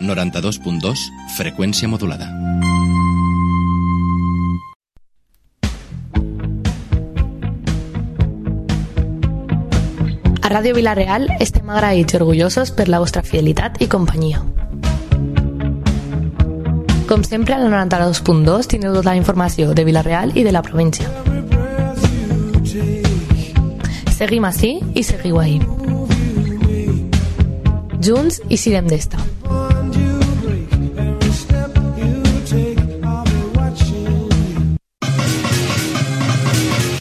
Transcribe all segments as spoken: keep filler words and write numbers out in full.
noranta-dos punt dos, freqüència modulada. A Ràdio Vila-real estem agraïts i orgullosos per la vostra fidelitat i companyia. Com sempre, al noranta-dos punt dos teniu tota la informació de Vila-real i de la província. Seguim ací i seguiu ahí. Junts i sirem d'esta.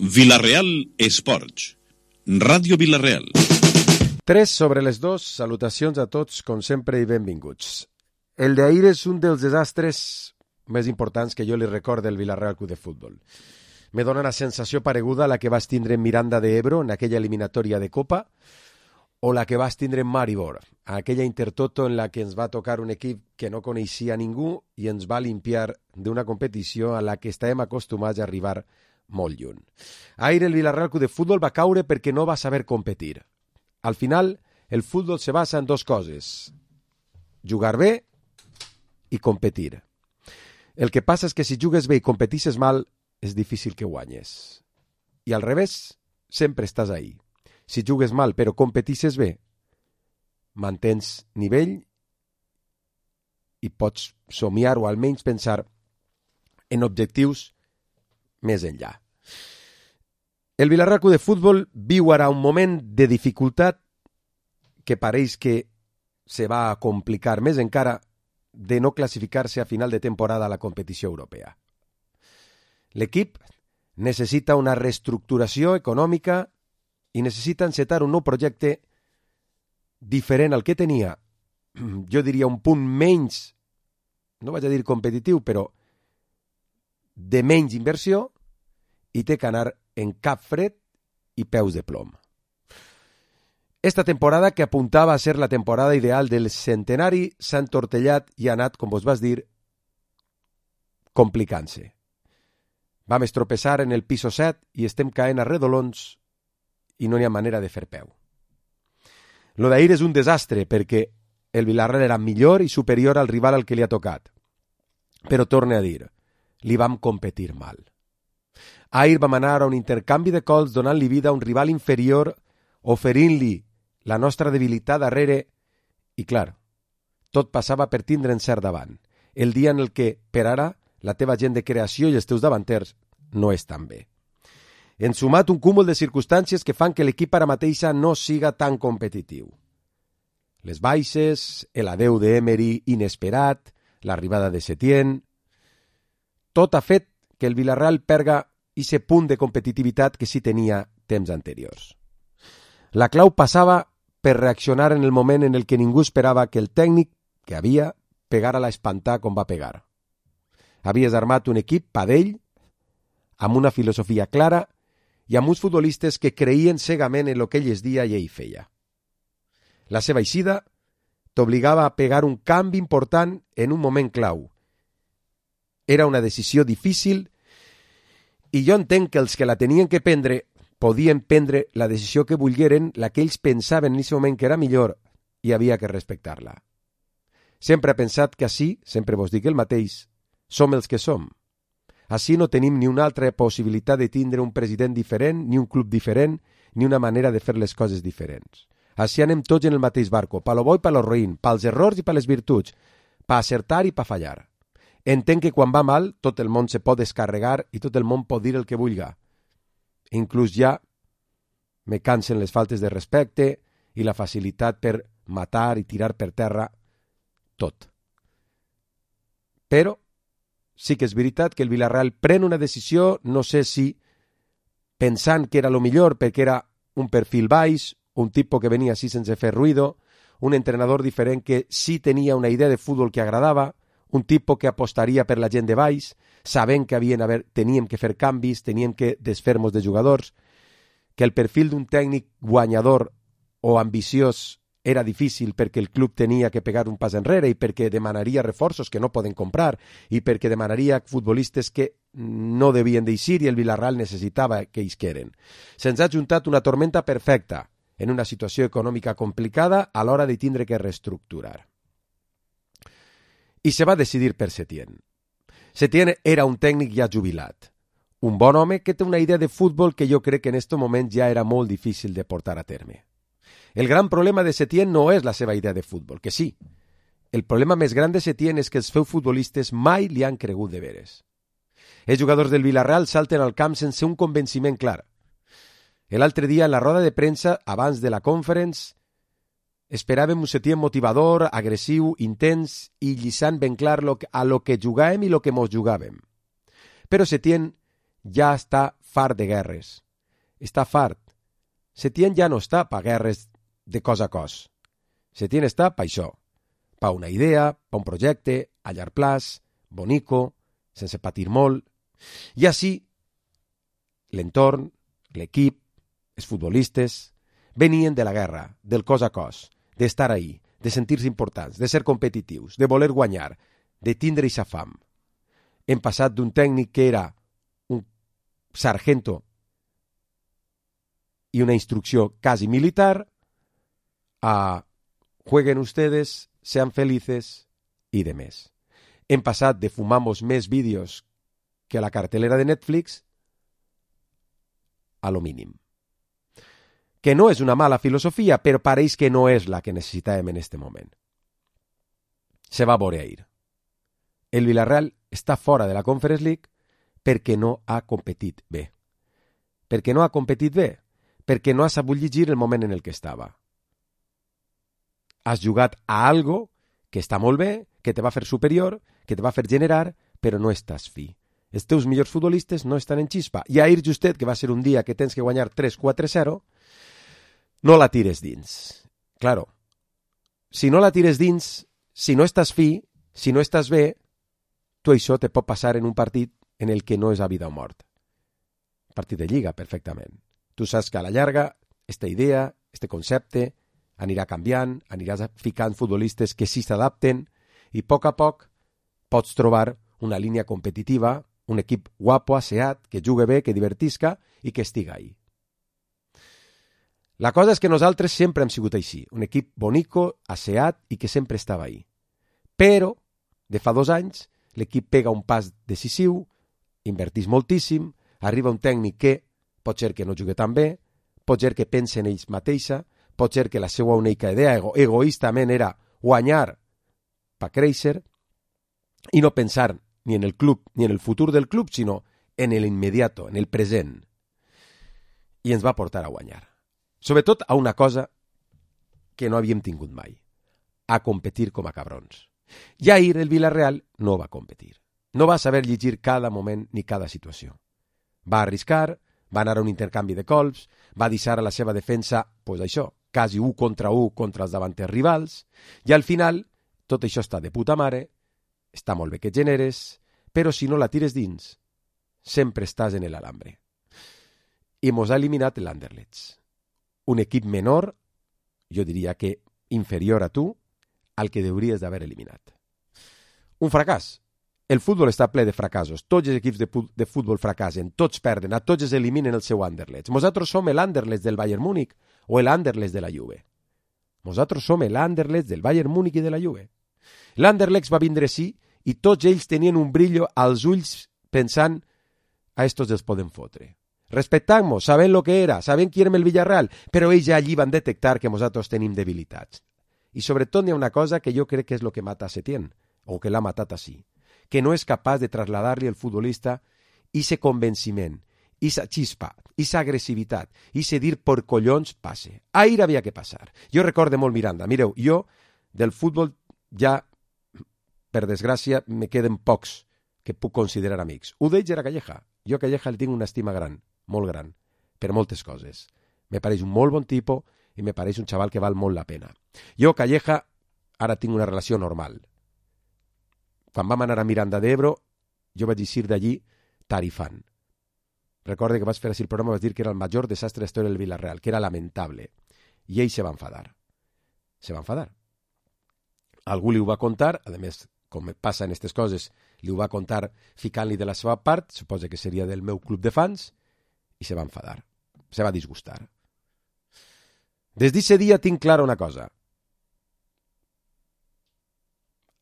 Vila-real Esports. Ràdio Vila-real. Tres sobre les dos, salutacions a tots, com sempre, i benvinguts. El d'ahir és un dels desastres més importants que jo li recordo del Vila-real Club de Futbol. Me dona una sensació pareguda a la que vas tindre en Miranda de Ebro, en aquella eliminatòria de Copa, o la que vas tindre en Maribor, aquella Intertoto en la que ens va tocar un equip que no coneixia ningú i ens va limpiar d'una competició a la que estàvem acostumats a arribar molt lluny. Ahir el Vila-real Club de Futbol va caure perquè no va saber competir. Al final, el futbol se basa en dos coses: jugar bé i competir. El que passa és que si jugues bé i competisses mal, és difícil que guanyes. I al revés, sempre estàs ahí. Si jugues mal però competisses bé, mantens nivell i pots somiar o almenys pensar en objectius més enllà. El Vila-real Club de Futbol viu ara un moment de dificultat que pareix que se va a complicar més encara de no classificar-se a final de temporada a la competició europea. L'equip necessita una reestructuració econòmica i necessita encetar un nou projecte diferent al que tenia, jo diria un punt menys, no vaig a dir competitiu, però de menys inversió, i té que anar en cap fred i peus de plom. Esta temporada, que apuntava a ser la temporada ideal del centenari, s'ha entortellat i ha anat, com vos vas dir, complicant-se. Vam estropeçar en el piso set i estem caent a redolons i no n'hi ha manera de fer peu. Lo d'ahir és un desastre perquè el Vila-real era millor i superior al rival al que li ha tocat. Però torne a dir, li vam competir mal. Ahir vam anar a un intercanvi de cols donant-li vida a un rival inferior, oferint-li la nostra debilitat darrere i, clar, tot passava per tindre encert davant. El dia en el que, per ara, la teva gent de creació i els teus davanters no estan bé. En sumat un cúmul de circumstàncies que fan que l'equip ara mateixa no siga tan competitiu. Les baixes, el adeu d'Emery inesperat, l'arribada de Setién... Tot ha fet que el Vila-real perga ese punt de competitivitat que sí tenia temps anteriors. La clau passava per reaccionar en el moment en el que ningú esperava que el tècnic que havia pegara a l'espantar com va pegar. Havies armat un equip padell, amb una filosofia clara i amb uns futbolistes que creien cegament en el que ell es dia i ell feia. La seva eixida t'obligava a pegar un canvi important en un moment clau. Era una decisió difícil i jo entenc que els que la tenien que prendre podien prendre la decisió que volgueren, la que ells pensaven en aquest moment que era millor, i havia que respectar-la. Sempre he pensat que així, sempre vos dic el mateix, som els que som. Així no tenim ni una altra possibilitat de tindre un president diferent, ni un club diferent, ni una manera de fer les coses diferents. Així anem tots en el mateix barco, pa lo bo i pa lo roïn, pels errors i pa les virtuts, pa acertar i pa fallar. Entenc que quan va mal, tot el món se pot descarregar i tot el món pot dir el que vulga. Inclús ja me cansen les faltes de respecte i la facilitat per matar i tirar per terra tot. Però sí que és veritat que el Vila-real pren una decisió, no sé si pensant que era lo millor perquè era un perfil baix, un tipus que venia així sense fer ruïdo, un entrenador diferent que sí tenia una idea de futbol que agradava, un tipus que apostaria per la gent de baix, sabent que havien haver, teníem que fer canvis, teníem que desfer-nos de jugadors, que el perfil d'un tècnic guanyador o ambiciós era difícil perquè el club tenia que pegar un pas enrere i perquè demanaria reforços que no poden comprar i perquè demanaria futbolistes que no devien d'eixir i el Vila-real necessitava que isqueren. Se'ns ha juntat una tormenta perfecta en una situació econòmica complicada a l'hora de tindre que reestructurar. i se va decidir per Setién. Setién era un tècnic ja jubilat, un bon home que té una idea de futbol que jo crec que en aquest moment ja era molt difícil de portar a terme. El gran problema de Setién no és la seva idea de futbol, que sí. El problema més gran de Setién és que els seus futbolistes mai li han cregut de veres. Els jugadors del Villarreal salten al camp sense un convenciment clar. L'altre dia, en la roda de premsa, abans de la conference, esperàvem un Setién motivador, agressiu, intens i llisant ben clar lo que, a lo que jugàvem i lo que mos jugàvem. Però Setién ja està fart de guerres. Està fart. Setién ja no està pa guerres de cos a cos. Setién està pa això. Pa una idea, pa un projecte, a llarg plaç, bonico, sense patir molt. I així, l'entorn, l'equip, els futbolistes, venien de la guerra, del cos a cos, d'estar ahí, de sentir-se importants, de ser competitius, de voler guanyar, de tindre ixa fam. Hem passat d'un tècnic que era un sargento i una instrucció quasi militar a jueguen ustedes, sean felices i de més. Hem passat de fumamos més vídeos que la cartelera de Netflix a lo mínim. Que no és una mala filosofia, però pareix que no és la que necessitàvem en este moment. Se va veure ahir. El Villarreal està fora de la Conference League perquè no ha competit bé. Perquè no ha competit bé, perquè no ha sabut llegir el moment en el que estava. Has jugat a algo que està molt bé, que te va fer superior, que te va fer generar, però no estàs fi. Els teus millors futbolistes no estan en xispa. I ahir justet, que va ser un dia que tens que guanyar tres quatre zero, no la tires dins. Claro, si no la tires dins, si no estàs fi, si no estàs bé, tu això te pot passar en un partit en el que no és a vida o mort. Partit de lliga, perfectament. Tu saps que a la llarga, esta idea, este concepte, anirà canviant, aniràs ficant futbolistes que sí s'adapten i a poc a poc pots trobar una línia competitiva, un equip guapo, asseat, que jugui bé, que divertisca i que estiga ahí. La cosa és que nosaltres sempre hem sigut així, un equip bonico, asseat i que sempre estava ahí. Però, de fa dos anys, l'equip pega un pas decisiu, invertís moltíssim, arriba un tècnic que pot ser que no jugui tan bé, pot ser que pense en ells mateixa, pot ser que la seva única idea ego, egoístament era guanyar per créixer i no pensar ni en el club ni en el futur del club, sinó en el immediato, en el present. I ens va portar a guanyar. Sobretot a una cosa que no havíem tingut mai, a competir com a cabrons. I ahir el Villarreal no va competir. No va saber llegir cada moment ni cada situació. Va arriscar, va anar a un intercanvi de colps, va deixar a la seva defensa, pues això, quasi un contra un contra els davanters rivals, i al final tot això està de puta mare, està molt bé que generes, però si no la tires dins, sempre estàs en l'alambre. I mos ha eliminat l'Anderlecht. Un equip menor, jo diria que inferior a tu, al que hauries d'haver eliminat. Un fracàs. El futbol està ple de fracassos. Tots els equips de, de futbol fracassen, tots perden, a tots els eliminen el seu Anderlecht. Nosaltres som l'Anderlecht del Bayern Múnich o l'Anderlecht de la Juve. Nosaltres som l'Anderlecht del Bayern Múnich i de la Juve. L'Anderlecht va vindre sí i tots ells tenien un brillo als ulls pensant a estos els podem fotre. Respectant-nos, sabent lo que era, sabent qui érem el Villarreal, però ells ja allí van detectar que nosaltres tenim debilitats. I sobretot hi ha una cosa que jo crec que és el que mata a Setién, o que l'ha matat així, que no és capaç de traslladar-li al futbolista ese convenciment, esa xispa, esa agressivitat, ese dir por collons passe. Ahir havia que passar. Jo recorde molt Miranda. Mireu, jo del futbol ja, per desgràcia, me queden pocs que puc considerar amics. Un d'ells era Calleja. Jo a Calleja li tinc una estima gran, molt gran, per moltes coses. Me pareix un molt bon tipus i me pareix un xaval que val molt la pena. Jo, Calleja, ara tinc una relació normal. Quan vam anar a Miranda d'Ebro, jo vaig eixir d'allí tarifant. Recorde que vaig fer així el programa, vaig dir que era el major desastre de la història del Villarreal, que era lamentable. I ell se va enfadar. Se va enfadar. Algú li ho va contar, a més, com passa en aquestes coses, li ho va contar ficant-li de la seva part, suposa que seria del meu club de fans, i se va enfadar. Se va disgustar. Des d'aquest dia tinc clara una cosa.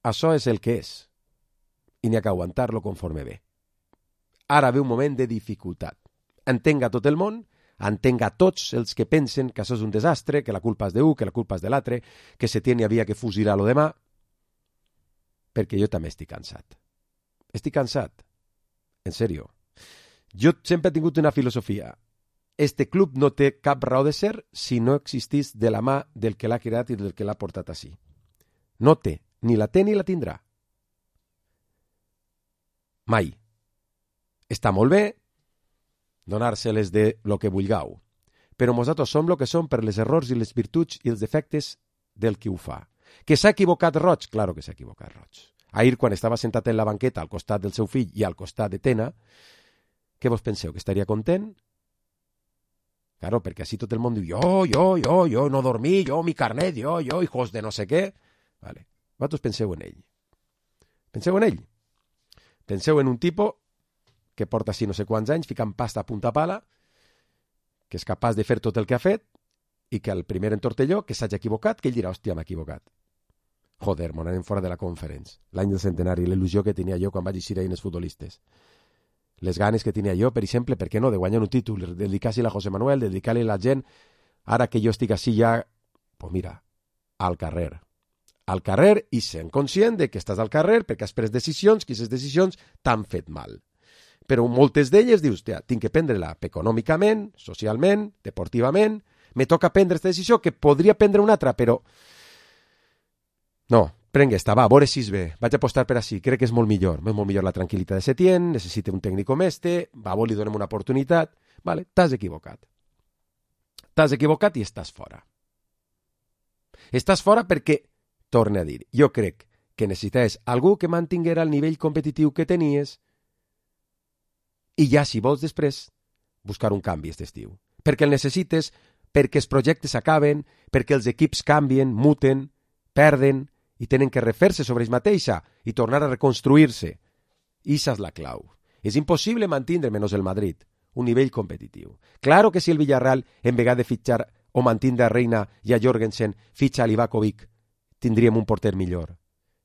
això és el que és. I n'hi ha que aguantar-lo conforme ve. Ara ve un moment de dificultat. Entenga tot el món, entenga tots els que pensen que això és un desastre, que la culpa és d'un, que la culpa és de l'altre, que se tiene havia que fusilar lo demà, perquè jo també estic cansat. Estic cansat. En sèrio. Jo sempre he tingut una filosofia. Este club no té cap raó de ser si no existís de la mà del que l'ha creat i del que l'ha portat així. No té, ni la té ni la tindrà. Mai. Està molt bé donar-se-les de lo que vulgueu, però nosaltres som lo que som per les errors i les virtuts i els defectes del qui ho fa. Que s'ha equivocat Roig? Claro que s'ha equivocat Roig. Ahir, quan estava sentat en la banqueta al costat del seu fill i al costat de Tena, què vos penseu, que estaria content? Claro, perquè així tot el món diu jo, jo, jo, jo, no dormir, jo, mi carnet, jo, jo, hijos de no sé què. Vale. Vosaltres penseu en ell. Penseu en ell. Penseu en un tipo que porta així no sé quants anys ficant pasta a punta pala, que és capaç de fer tot el que ha fet i que el primer entortelló que s'hagi equivocat, que ell dirà, hòstia, m'ha equivocat. Joder, m'ho anem fora de la conferència. L'any del centenari, l'il·lusió que tenia jo quan vaig eixir ahir en els futbolistes. Les ganes que tenia jo, per exemple, per què no, de guanyar un títol, de dedicar-se-la a José Manuel, de dedicar-li a la gent, ara que jo estic així ja, pues mira, al carrer. Al carrer i sent conscient de que estàs al carrer perquè has pres decisions, que aquestes decisions t'han fet mal. Però moltes d'elles dius, hòstia, tinc que prendre-la econòmicament, socialment, deportivament, me toca prendre aquesta decisió que podria prendre una altra, però no, prengue esta, va, a veure si és bé, vaig apostar per així, crec que és molt millor, és molt millor la tranquil·litat de Setién, necessita un tècnic com este, va, vol, li donem una oportunitat, vale, t'has equivocat. T'has equivocat i estàs fora. Estàs fora perquè, torne a dir, jo crec que necessites algú que mantinguera el nivell competitiu que tenies i ja, si vols després, buscar un canvi aquest estiu. Perquè el necessites, perquè els projectes acaben, perquè els equips canvien, muten, perden i tenen que refer-se sobre ells mateixa i tornar a reconstruir-se. I això és la clau. És impossible mantindre, menys el Madrid, un nivell competitiu. Claro que si el Villarreal, en vegada de fitxar o mantindre a Reina i a Jorgensen, fitxa a Livakovic, tindríem un porter millor.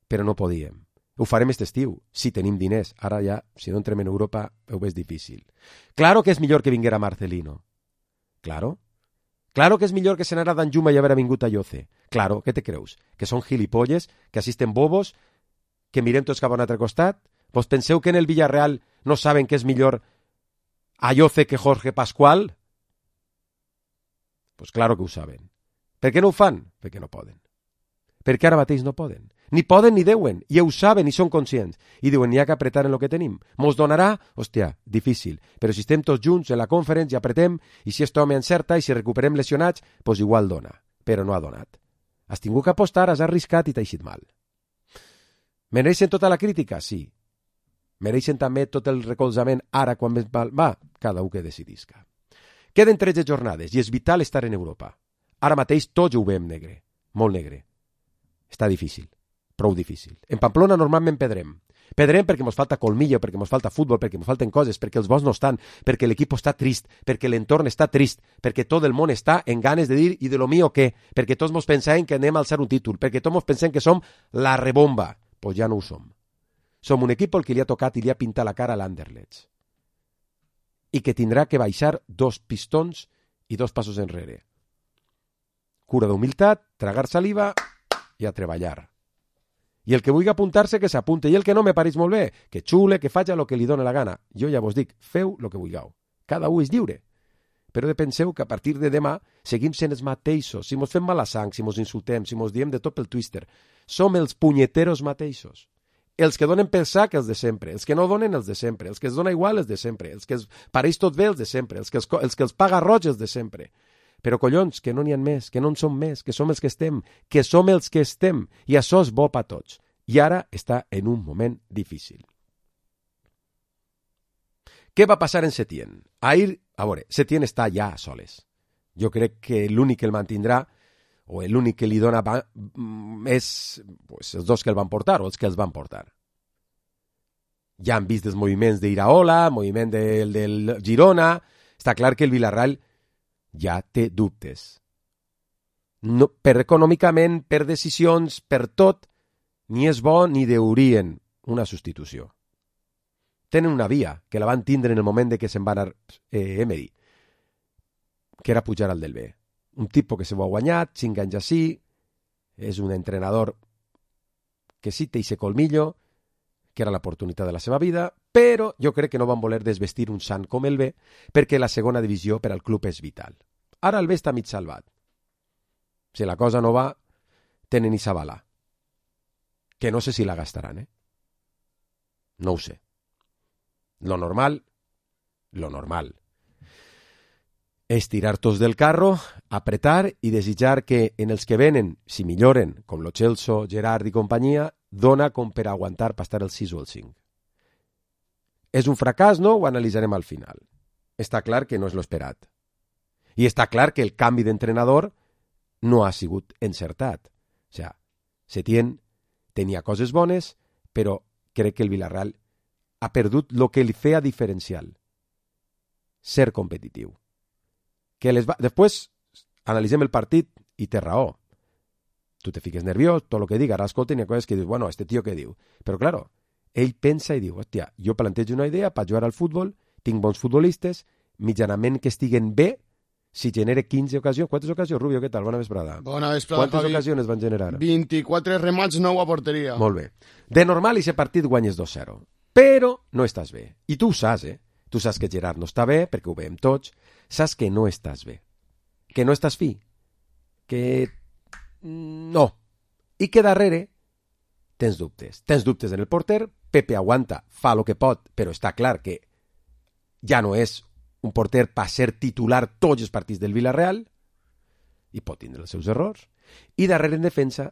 Però no podíem. Ho farem aquest estiu, si tenim diners. Ara ja, si no entrem en Europa, ho veig difícil. Claro que és millor que vinguera Marcelino. Claro. Claro que és millor que se n'anara d'Anjuma i haver vingut a Yoce. Claro, què te creus? Que són gilipolles, que assisten bobos, que mirem tots cap a un altre costat? Vos penseu que en el Villarreal no saben que és millor a Yoce que Jorge Pascual? Pues claro que ho saben. Per què no ho fan? Perquè no poden. Perquè ara mateix no poden. Ni poden ni deuen, i ho saben i són conscients. I diuen, n'hi ha que apretar en el que tenim. Mos donarà? Hòstia, difícil. Però si estem tots junts en la conferència i apretem, i si este home encerta i si recuperem lesionats, pues igual dona. Però no ha donat. Has tingut que apostar, has arriscat i t'ha eixit mal. Mereixen tota la crítica? Sí. Mereixen també tot el recolzament ara quan més mal va? Cada un que decidisca. Queden tretze jornades i és vital estar en Europa. Ara mateix tots ho veiem negre. Molt negre. Està difícil. Prou difícil. En Pamplona normalment pedrem. Pedrem perquè ens falta colmillo, perquè ens falta futbol, perquè ens falten coses, perquè els bons no estan, perquè l'equip està trist, perquè l'entorn està trist, perquè tot el món està en ganes de dir i de lo mío què, perquè tots ens pensem que anem a alçar un títol, perquè tots ens pensem que som la rebomba. Pues ja no ho som. Som un equip al que li ha tocat i li ha pintat la cara a l'Anderlecht. I que tindrà que baixar dos pistons i dos passos enrere. Cura d'humilitat, tragar saliva i a treballar. I el que vulgui apuntar-se, que s'apunte. I el que no me pareix molt bé, que xule, que faci el que li doni la gana. Jo ja vos dic, feu el que vulgueu. Cada un és lliure. Però penseu que a partir de demà seguim sent els mateixos. Si mos fem mala sang, si mos insultem, si mos diem de tot pel Twitter, som els punyeteros mateixos. Els que donen per sac, els de sempre. Els que no donen, els de sempre. Els que es dona igual, els de sempre. Els que es pareix tot bé, els de sempre. Els que els, els, que els paga roig, els de sempre. Però collons, que no n'hi ha més, que no en som més, que som els que estem, que som els que estem, i això és bo per tots. I ara està en un moment difícil. Què va passar en Setién? Ahir, a veure, Setién està ja a soles. Jo crec que l'únic que el mantindrà, o l'únic que li dona és pues, els dos que el van portar, o els que els van portar. Ja han vist els moviments d'Iraola, moviment del, del Girona, està clar que el Villarreal ja té dubtes. No, per econòmicament, per decisions, per tot, ni és bo ni deurien una substitució. Tenen una via, que la van tindre en el moment de que se'n va anar eh, Emery, que era pujar al del B. Un tipus que se ho ha guanyat, cinc anys així, és un entrenador que sí té ese colmillo, que era l'oportunitat de la seva vida, però jo crec que no van voler desvestir un sant com el B, perquè la segona divisió per al club és vital. Ara el B està mig salvat. Si la cosa no va, tenen Isabala, que no sé si la gastaran, eh? No ho sé. Lo normal, lo normal, és tirar tots del carro, apretar i desitjar que en els que venen, si milloren, com lo Celso, Gerard i companyia, dona com per aguantar per estar el sis o el cinc. És un fracàs, no? Ho analitzarem al final. Està clar que no és l'esperat. I està clar que el canvi d'entrenador no ha sigut encertat. O sigui, Setién tenia coses bones, però crec que el Villarreal ha perdut el que li feia diferencial. Ser competitiu. Que les va... Després analitzem el partit i té raó. Tu te fiques nerviós, tot el que diga, ara escolta, hi ha coses que dius, bueno, este tio què diu? Però, claro, ell pensa i diu, hòstia, jo plantejo una idea per jugar al futbol, tinc bons futbolistes, mitjanament que estiguen bé, si genere quinze ocasions. Quantes ocasions, Rubio? Què tal? Bona vesprada. Bona vesprada, Quantes Javi. ocasions van generar? vint-i-quatre remats, nou a porteria. Molt bé. De normal, aquest partit guanyes dos zero. Però no estàs bé. I tu ho saps, eh? Tu saps que Gerard no està bé, perquè ho veiem tots. Saps que no estàs bé. Que no estàs fi. Que... no. I que darrere tens dubtes. Tens dubtes en el porter. Pepe aguanta, fa el que pot, però està clar que ja no és un porter per ser titular tots els partits del Villarreal i pot tindre els seus errors. I darrere en defensa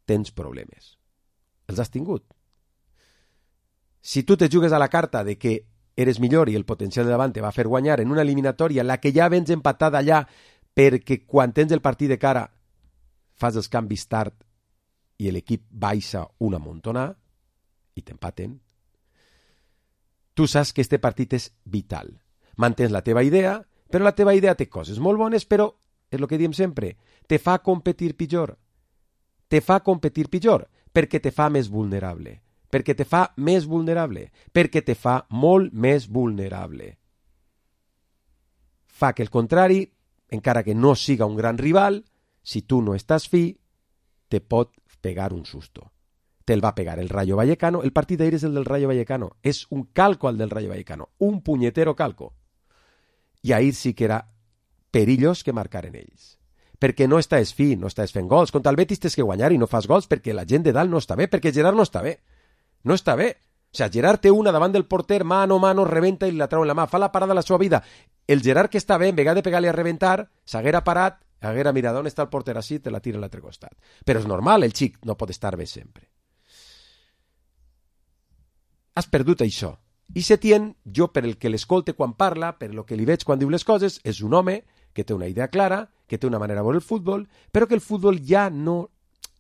tens problemes. Els has tingut. Si tu te jugues a la carta de que eres millor i el potencial de davant te va fer guanyar en una eliminatòria en la que ja vens empatat allà perquè quan tens el partit de cara fas els canvis tard i l'equip baixa una montona i t'empaten, tu saps que este partit és vital. Mantens la teva idea, però la teva idea té coses molt bones, però, és el que diem sempre, te fa competir pitjor. Te fa competir pitjor, perquè te fa més vulnerable. Perquè te fa més vulnerable. Perquè te fa molt més vulnerable. Fa que el contrari, encara que no siga un gran rival, si tu no estàs fi, te pot pegar un susto. Te'l va pegar el Rayo Vallecano. El partit d'ahir és el del Rayo Vallecano. És un calco al del Rayo Vallecano. Un punyetero calco. I ahir sí que era perillós que marcaren ells. Perquè no estàs fi, no estàs fent gols. Contra el Betis tens que guanyar i no fas gols perquè la gent de dalt no està bé, perquè Gerard no està bé. No està bé. O sigui, Gerard té una davant del porter, mano, mano, rebenta i la trau en la mà. Fa la parada de la seva vida. El Gerard que està bé, en vegada de pegar-li a rebentar, s'haguera parat, haguera mirat on està el porter així, te la tira a l'altre costat. Però és normal, el xic no pot estar bé sempre. Has perdut això. I Setién, jo per el que l'escolte quan parla, per el que li veig quan diu les coses, és un home que té una idea clara, que té una manera de veure el futbol, però que el futbol ja no,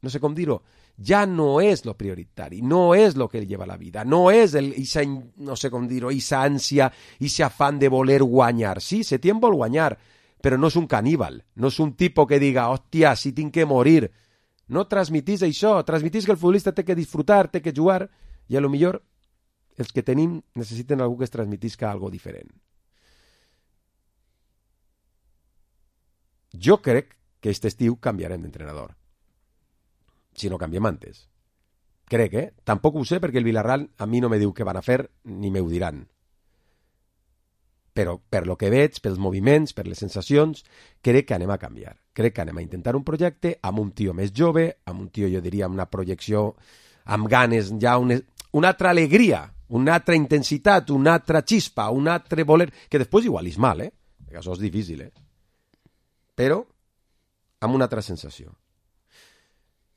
no sé com dir-ho, ja no és lo prioritari, no és lo que lleva la vida, no és el, isa, no sé com dir-ho, isa ànsia, isa afán de voler guanyar. Sí, Setién vol guanyar, però no és un caníbal, no és un tipus que diga, hòstia, si tinc que morir. No transmitís això, transmitís que el futbolista té que disfrutar, té que jugar, i a lo millor els que tenim necessiten algú que es transmetisca algo diferent. Jo crec que aquest estiu canviarem d'entrenador. Si no canviem antes. Crec, eh? Tampoc ho sé perquè el Villarreal a mi no me diu què van a fer ni me ho diran. Però per lo que veig, pels moviments, per les sensacions, crec que anem a canviar. Crec que anem a intentar un projecte amb un tio més jove, amb un tio, jo diria, amb una projecció, amb ganes, ja una, una altra alegria, una altra intensitat, una altra xispa, un altre voler, que després igual és mal, eh? Perquè això és difícil, eh? Però amb una altra sensació.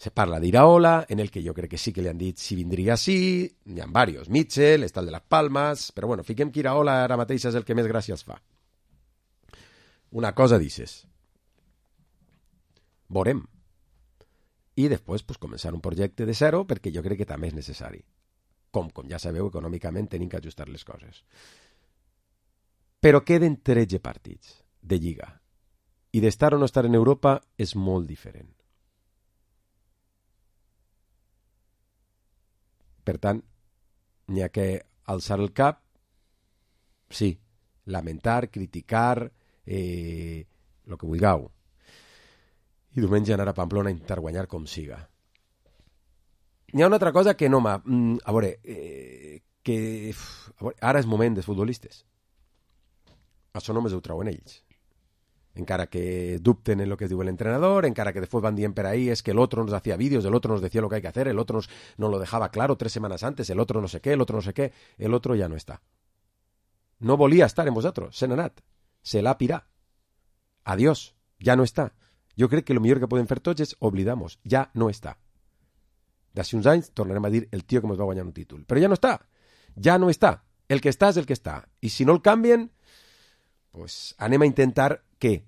Se parla d'Iraola, en el que jo crec que sí que li han dit si vindria sí, n'hi ha diversos, Mitchell, està el de les Palmes, però bueno, fiquem que Iraola ara mateix és el que més gràcies fa. Una cosa dices. Veurem. I després pues, començar un projecte de zero perquè jo crec que també és necessari. Com, com ja sabeu, econòmicament tenim que ajustar les coses. Però queden tretze partits de Lliga. I d'estar o no estar en Europa és molt diferent. Per tant, n'hi ha que alçar el cap, sí, lamentar, criticar, eh, el que vulgueu. I diumenge anar a Pamplona a intentar guanyar com siga. N'hi ha una altra cosa que no m'ha... A veure, eh, que... A veure, ara és moment dels futbolistes. Això només ho trauen ells. Encara que dubten en lo que diu el entrenador, encara que después van dient per ahí, es que el otro nos hacía vídeos, el otro nos decía lo que hay que hacer, el otro nos, nos lo dejaba claro tres semanas antes, el otro no sé qué, el otro no sé qué, el otro ya no está. No volia estar en vosaltres, se n'ha anat, se l'ha pirat. Adiós, ja no està. Jo crec que el millor que podem fer tots és oblidamos, ja no està. D'ací uns anys tornarem a dir el tio que ens va guanyar un títol. Però ja no està, ja no està. El que està és el que està. I si no el canvien, pues anem a intentar que,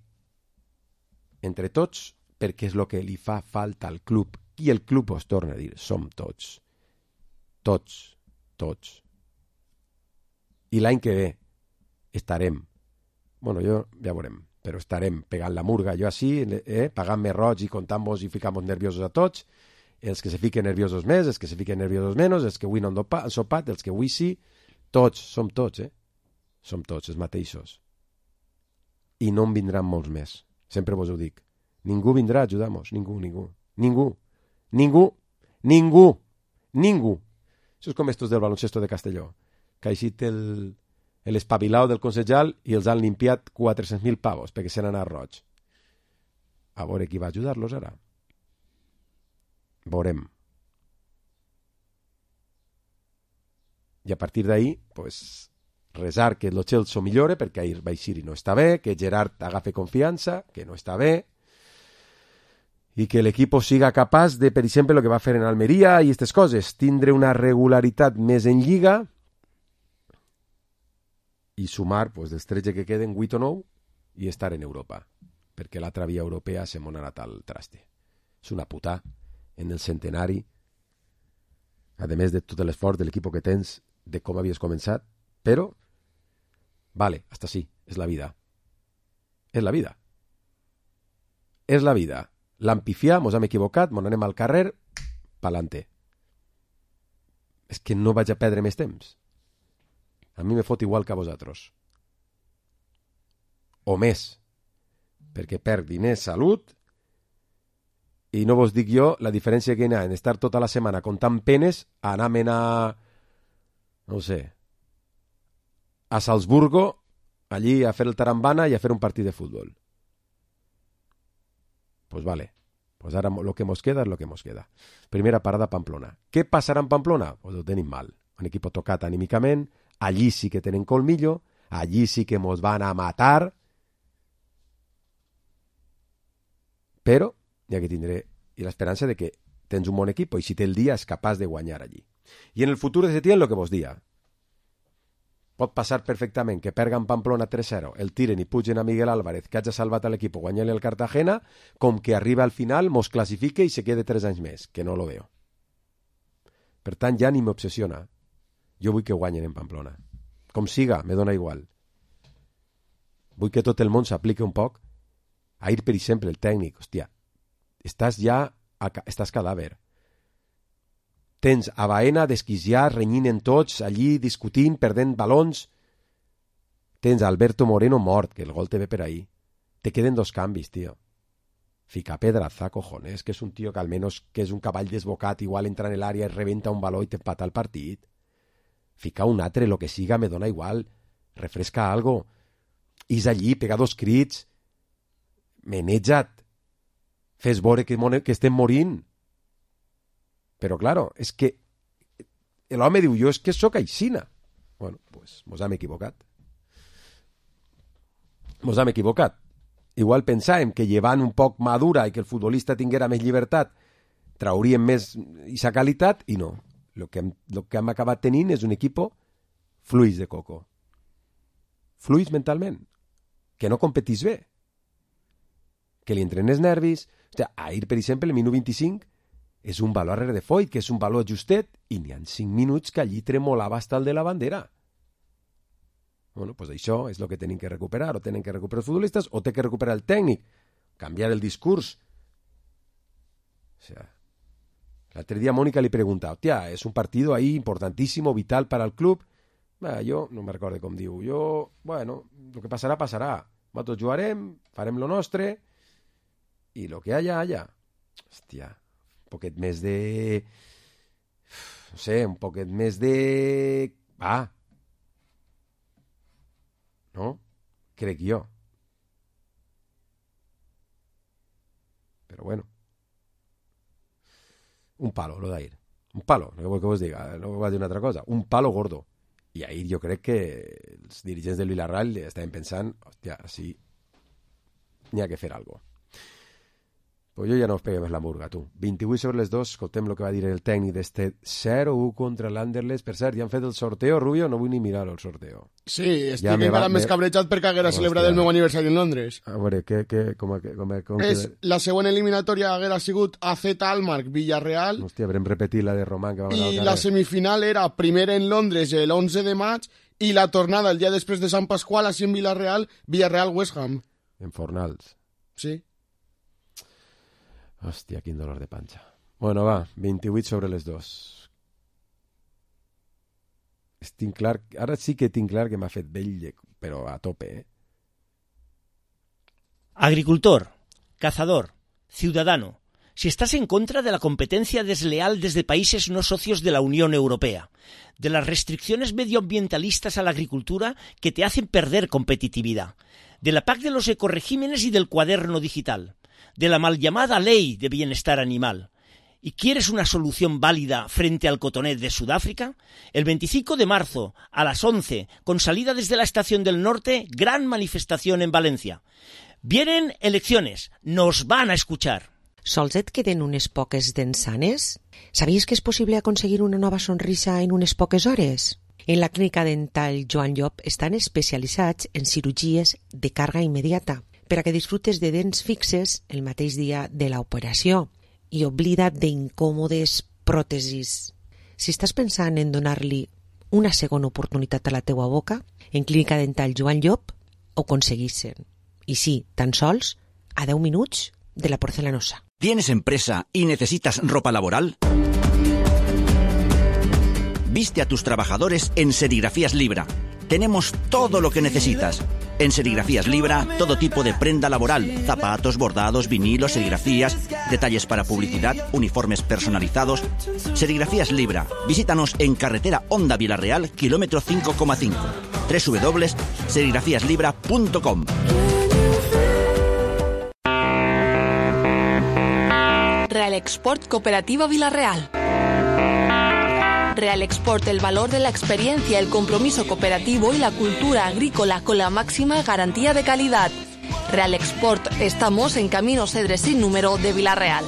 entre tots, perquè és el que li fa falta al club, i el club us torna a dir, som tots. Tots, tots. I l'any que ve estarem, bueno, jo ja veurem, però estarem pegant la murga, jo així, eh, pagant-me roig i contant-vos i ficant-vos nerviosos a tots, els que se fiquen nerviosos més, els que se fiquen nerviosos menys, els que avui no han sopat, els que avui sí, tots, som tots, eh? Som tots, els mateixos. I no en vindran molts més. Sempre vos ho dic. Ningú vindrà a ajudar-nos. Ningú, ningú. Ningú. Ningú. Ningú. Ningú. Això és com estos del baloncesto de Castelló, que ha eixit el, l'espavilau del Consellal i els han limpiat quatre-cents mil pavos perquè se n'han anat roig. A veure qui va ajudar-los ara. Veurem. I a partir d'ahí, pues, resar que el Chelsea millore, perquè ahir Baixiri no està bé, que Gerard agafe confiança, que no està bé, i que l'equip siga capaç de, per exemple, el que va fer en Almeria i aquestes coses, tindre una regularitat més en Lliga i sumar, pues, dels tretze que queden, vuit o nou, i estar en Europa, perquè l'altra via europea se m'ha anat al traste. És una puta en el centenari, a més de tot l'esforç de l'equip que tens, de com havies començat, però vale, hasta sí, és la vida. És la vida. És la vida. L'hem pifiat, mos hem equivocat, mos anem al carrer, pa'lante. És que no vaig a perdre més temps. A mi me fot igual que a vosaltres. O més. Perquè perc diners, salut, i no vos dic jo la diferència que hi ha en estar tota la setmana contant penes a anar a, no sé, a Salzburgo, allí a fer el tarambana i a fer un partit de futbol. Pues vale, pues ara lo que mos queda és lo que mos queda. Primera parada a Pamplona. Què passarà en Pamplona? Pues ho tenim mal. Un equip tocat anímicament, allí sí que tenen colmillo, allí sí que mos van a matar, però ja que tindré i l'esperança de que tens un bon equip i si té el dia és capaç de guanyar allí. I en el futur de Setién, el que vos dia, pot passar perfectament que pergan Pamplona tres zero, el tiren i pugen a Miguel Álvarez, que hagi salvat a l'equip guanyant-li al Cartagena, com que arriba al final, mos classifique i se quede tres anys més, que no lo veo. Per tant, ja ni m'obsessiona. Jo vull que guanyen en Pamplona. Com siga, me dona igual. Vull que tot el món s'aplique un poc. Ahir, per exemple, el tècnic, hòstia, estàs ja, a, estàs cadàver. Tens a Baena desquiciat, renyint en tots, allí discutint, perdent balons. Tens a Alberto Moreno mort, que el gol te ve per ahí. Te queden dos canvis, tío. Fica Pedraza, cojones, que és un tío que almenys que és un cavall desbocat, igual entra en l'àrea i rebenta un baló i t'empata el partit. Fica un altre, lo que siga, me dona igual. Refresca algo. Is allí, pega dos crits. Meneja't. Fes veure que, que estem morint. Però, claro, és que l'home diu, jo és que sóc aixina. Bueno, pues mos hem equivocat. Mos hem equivocat. Igual pensàvem que llevant un poc madura i que el futbolista tinguera més llibertat trauríem més aquesta qualitat i no. El que hem, lo que hem acabat tenint és un equip fluix de coco. Fluix mentalment. Que no competís bé. Que li entren els nervis. Hòstia, ahir, per exemple, el minut vint-i-cinc és un baló arrere de Foyt, que és un baló justet, i n'hi ha cinc minuts que allí tremolava hasta el de la bandera. Bueno, pues això és el que tenen que recuperar, o tenen que recuperar els futbolistes, o té que recuperar el tècnic, canviar el discurs. O sea, L'altre dia Mónica li pregunta, hòstia, és un partido ahí importantísimo, vital para el club. Bah, jo no me recordo com diu. Jo, bueno, el que passarà, passarà. Nosaltres jugarem, farem lo nostre i lo que haya, haya. Hòstia, un poquet més de... No sé, un poquet més de... Va. No? Crec jo. Però bueno. Un palo, lo d'ahir. Un palo, no vol que vos diga, no va dir una altra cosa. Un palo gordo. I ahir jo crec que els dirigents del Villarreal estaven pensant, hòstia, així n'hi ha que fer alguna cosa. Pues jo ja no us peguem la murga, tu. vint-i-vuit sobre les dos, escoltem el que va dir el tècnic d'este zero u contra l'Anderlecht. Per cert, ja han fet el sorteo, Rubio? No vull ni mirar el sorteo. Sí, estic ja encara va, més me... cabrejat perquè haguera celebrat el meu aniversari en Londres. A veure, què, què, com, com, com és, que... La següent eliminatòria haguera sigut A Z Almark Villarreal. Hòstia, haurem repetit la de Román. Que I la semifinal era primera en Londres el onze de maig i la tornada el dia després de Sant Pasqual, així en Villarreal, Villarreal-West Ham. En Fornals. Sí. Hòstia, quin dolor de panxa. Bueno, va, vint-i-vuit sobre les dos. Tinc clar, ara sí que tinc clar que m'ha fet vell, però a tope, eh? Agricultor, cazador, ciudadano, si estás en contra de la competencia desleal desde países no socios de la Unión Europea, de las restricciones medioambientalistas a la agricultura que te hacen perder competitividad, de la P A C de los ecoregímenes y del cuaderno digital, de la mal llamada Ley de Bienestar Animal, y quieres una solución válida frente al cotonet de Sudáfrica, el veinticinco de marzo a las once, con salida desde la Estación del Norte, gran manifestación en Valencia. Vienen elecciones, nos van a escuchar. Sols et queden unes poques dents sanes? Sabies que és possible aconseguir una nova sonrisa en unes poques hores? En la clínica dental Joan Llop estan especialitzats en cirurgies de càrrega immediata per a que disfrutes de dents fixes el mateix dia de l'operació i oblida't d'incòmodes pròtesis. Si estàs pensant en donar-li una segona oportunitat a la teua boca, en clínica dental Joan Llop ho aconseguissin. I sí, tan sols a deu minuts de la porcelanosa. ¿Tienes empresa y necesitas ropa laboral? Viste a tus trabajadores en Serigrafías Libra. Tenemos todo lo que necesitas. En Serigrafías Libra, todo tipo de prenda laboral, zapatos, bordados, vinilos, serigrafías, detalles para publicidad, uniformes personalizados. Serigrafías Libra. Visítanos en carretera Honda Villarreal, kilómetro cinco coma cinco. doble u doble u doble u punto serigrafías libra punto com. Real Export Cooperativa Villarreal. Real Export, el valor de la experiencia, el compromiso cooperativo y la cultura agrícola con la máxima garantía de calidad. Real Export, estamos en Camino Cedres sin número de Villarreal.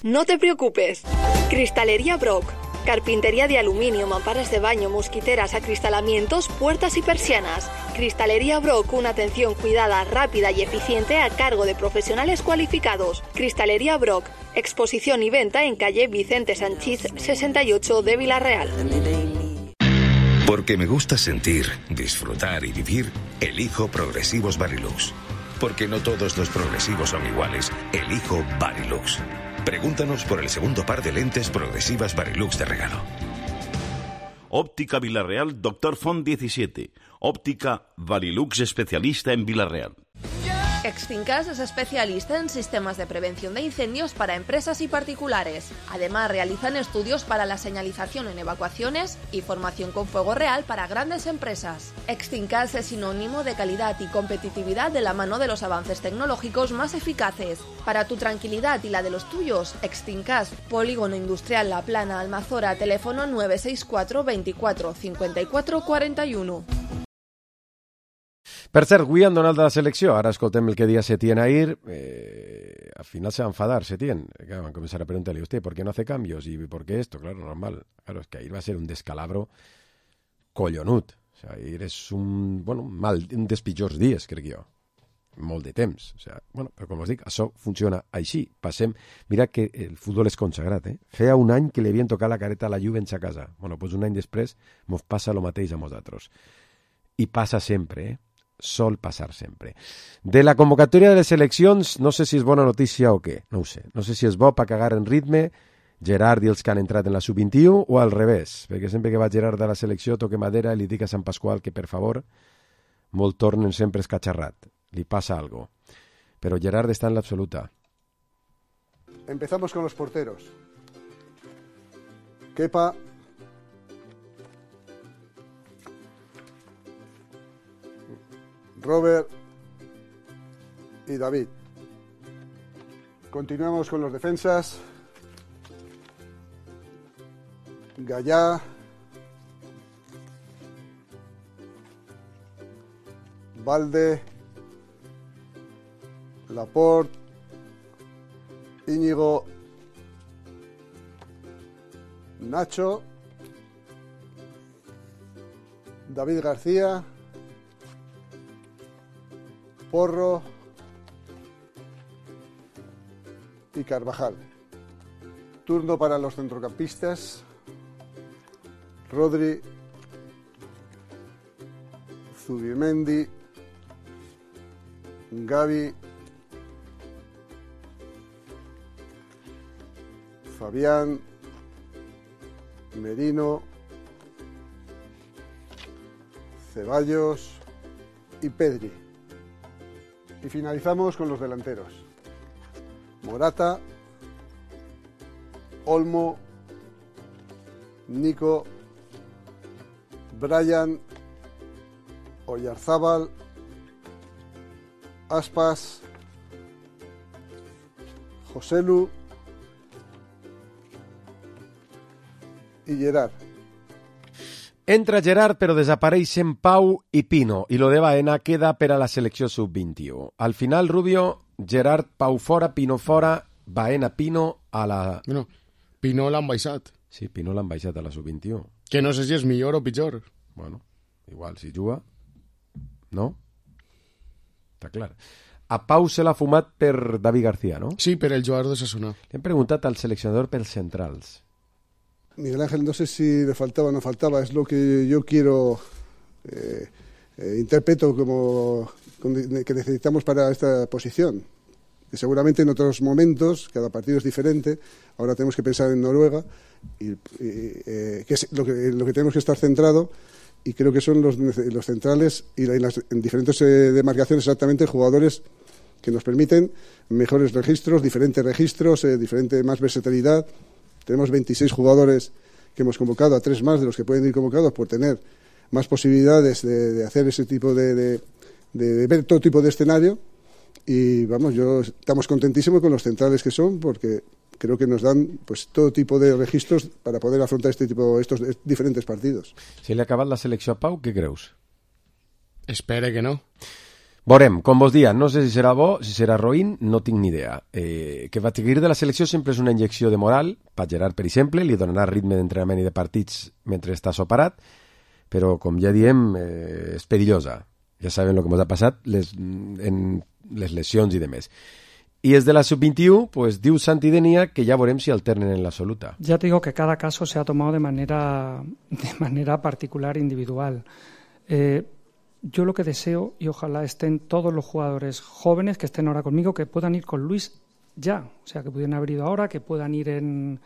No te preocupes. Cristalería Brock. Carpintería de aluminio, mamparas de baño, mosquiteras, acristalamientos, puertas y persianas. Cristalería Brock, una atención cuidada, rápida y eficiente a cargo de profesionales cualificados. Cristalería Brock, exposición y venta en calle Vicente Sanchís sesenta y ocho de Villarreal. Porque me gusta sentir, disfrutar y vivir, elijo Progresivos Varilux. Porque no todos los progresivos son iguales, elijo Varilux. Pregúntanos por el segundo par de lentes progresivas Varilux de regalo. Óptica Villarreal, Doctor Font diecisiete. Óptica Varilux, especialista en Villarreal. Extincas es especialista en sistemas de prevención de incendios para empresas y particulares. Además, realizan estudios para la señalización en evacuaciones y formación con fuego real para grandes empresas. Extincas es sinónimo de calidad y competitividad de la mano de los avances tecnológicos más eficaces. Para tu tranquilidad y la de los tuyos, Extincas, Polígono Industrial La Plana, Almazora, teléfono nueve seis cuatro veinticuatro cincuenta y cuatro cuarenta y uno. Per cert, avui han donat la selecció, ara escoltem el que dia Setién ahir, eh, al final se va a enfadar Setién, que van a comenzar a preguntarle, ¿usted por qué no hace cambios? ¿Y por qué esto? Claro, normal, claro, es que ahir va a ser un descalabro collonut, o sea, ahir és un, bueno, mal, un dels pitjors dies, crec jo, molt de temps, o sea, bueno, però com us dic, això funciona així, passem, mira que el futbol és consagrat, eh? Feia un any que li havien tocat la careta a la Juve a casa, bueno, doncs un any després mos passa el mateix a nosaltres, i passa sempre, eh? Sol passar sempre. De la convocatòria de les eleccions, no sé si és bona notícia o què, no ho sé. No sé si és bo per cagar en ritme Gerard i els que han entrat en la sub vint-i-u, o al revés? Perquè sempre que va Gerard a la selecció toque madera i li dic a Sant Pasqual que, per favor, molt tornen sempre escacharrat. Li passa algo. Però Gerard està en l'absoluta. Empezamos con los porteros. Kepa, Robert y David. Continuamos con los defensas. Gallá, Valde, Laporte, Íñigo, Nacho, David García, Porro y Carvajal. Turno para los centrocampistas. Rodri, Zubimendi, Gavi, Fabián, Merino, Ceballos y Pedri. Y finalizamos con los delanteros. Morata, Olmo, Nico, Brian, Oyarzábal, Aspas, Joselu y Gerard. Entra Gerard, però desapareixen Pau i Pino, i lo de Baena queda per a la selecció sub vint-i-u. Al final, Rubio, Gerard, Pau fora, Pino fora, Baena, Pino a la... No, Pino l'han baixat. Sí, Pino l'han baixat a la sub vint-i-u. Que no sé si és millor o pitjor. Bueno, igual, si juga... No? Està clar. A Pau se l'ha fumat per David García, no? Sí, per el jugador de Sassona. Le hem preguntat al seleccionador pels centrals. Miguel Ángel, no sé si le faltaba o no faltaba, es lo que yo quiero, eh, eh, interpreto como que necesitamos para esta posición. Que seguramente en otros momentos, cada partido es diferente, ahora tenemos que pensar en Noruega, y, y, eh, que es lo que, lo que tenemos que estar centrado, y creo que son los, los centrales y, la, y las en diferentes eh, demarcaciones exactamente jugadores que nos permiten mejores registros, diferentes registros, eh, diferente más versatilidad. Tenemos veintiséis jugadores que hemos convocado, a tres más de los que pueden ir convocados por tener más posibilidades de, de hacer ese tipo de, de, de ver todo tipo de escenario. Y vamos, yo estamos contentísimos con los centrales que son, porque creo que nos dan pues todo tipo de registros para poder afrontar este tipo, estos diferentes partidos. Si li ha acabat la selecció a Pau, què creus? Espere que no. Veurem, com vos dia, no sé si serà bo, si serà roïn, no tinc ni idea. Eh, que Bateguir de la selecció sempre és una injecció de moral, per Gerard, per exemple, li donarà ritme d'entrenament i de partits mentre està soparat, però, com ja diem, eh, és perillosa. Ja saben el que ens ha passat, les, en les lesions i demés. I és de la sub vint-i-u, pues diu Santi Denia que ja veurem si alternen en l'absoluta. Ya te digo que cada caso se ha tomado de manera, de manera particular, individual. Eh, Yo lo que deseo, y ojalá estén todos los jugadores jóvenes que estén ahora conmigo, que puedan ir con Luis ya. O sea, que pudieran haber ido ahora, que puedan ir en,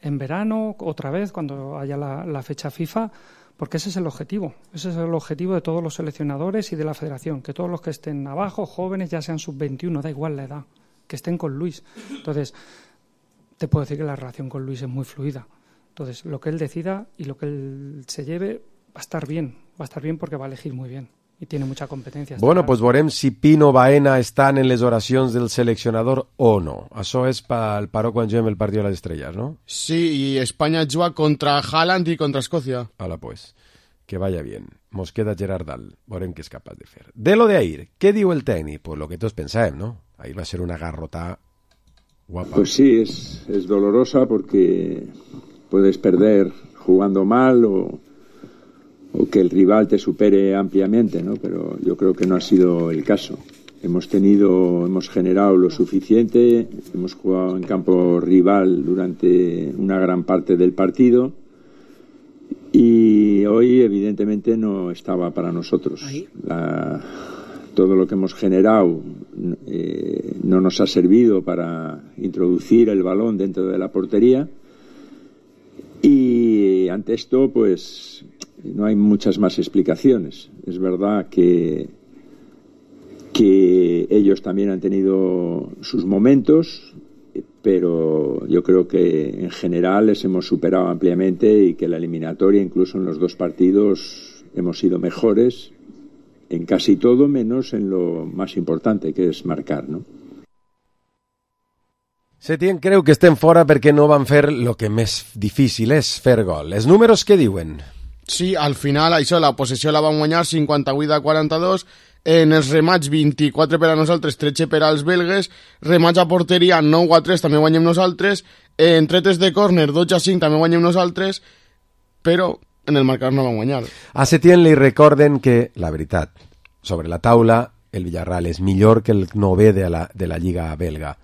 en verano, otra vez, cuando haya la, la fecha FIFA, porque ese es el objetivo. Ese es el objetivo de todos los seleccionadores y de la federación. Que todos los que estén abajo, jóvenes, ya sean sub veintiuno, da igual la edad, que estén con Luis. Entonces, te puedo decir que la relación con Luis es muy fluida. Entonces, lo que él decida y lo que él se lleve va a estar bien. Va a estar bien porque va a elegir muy bien. I tiene mucha competencia. Bueno, pues veurem si Pino Baena estan en les oracions del seleccionador o no. Això és pel paró quan juguem el partit de les estrelles, no? Sí, y España juga contra Haaland y contra Escocia. Hala, pues. Que vaya bien. Mos queda Gerard Dal. Veurem què és capaç de fer. De lo de Ahir, què diu el tècnic? Pues lo que tots pensàvem, ¿no? Ahir va ser una garrota guapa. Pues sí, es, es dolorosa porque puedes perder jugando mal o... o que el rival te supere ampliamente, ¿no? Pero yo creo que no ha sido el caso. Hemos tenido, hemos generado lo suficiente, hemos jugado en campo rival durante una gran parte del partido y hoy evidentemente no estaba para nosotros. La, todo lo que hemos generado eh, no nos ha servido para introducir el balón dentro de la portería Y ante esto, pues no hay muchas más explicaciones. Es verdad que, que ellos también han tenido sus momentos, pero yo creo que en general les hemos superado ampliamente y que la eliminatoria, incluso en los dos partidos, hemos sido mejores en casi todo, menos en lo más importante, que és marcar, no? Setién creu que estem fora perquè no van fer el que més difícil és fer gol. Els números què diuen? Sí, al final, això, la possessió la van guanyar cinquanta-vuit a quaranta-dos, en els remats vint-i-quatre per a nosaltres, tretze per als belgues, remats a porteria nou a tres, també guanyem nosaltres, en tretes de córner dotze a cinc, també guanyem nosaltres, però en el marcador no van guanyar. A Setién li recorden que, la veritat, sobre la taula, el Villarreal és millor que el novè de la, de la Lliga belga.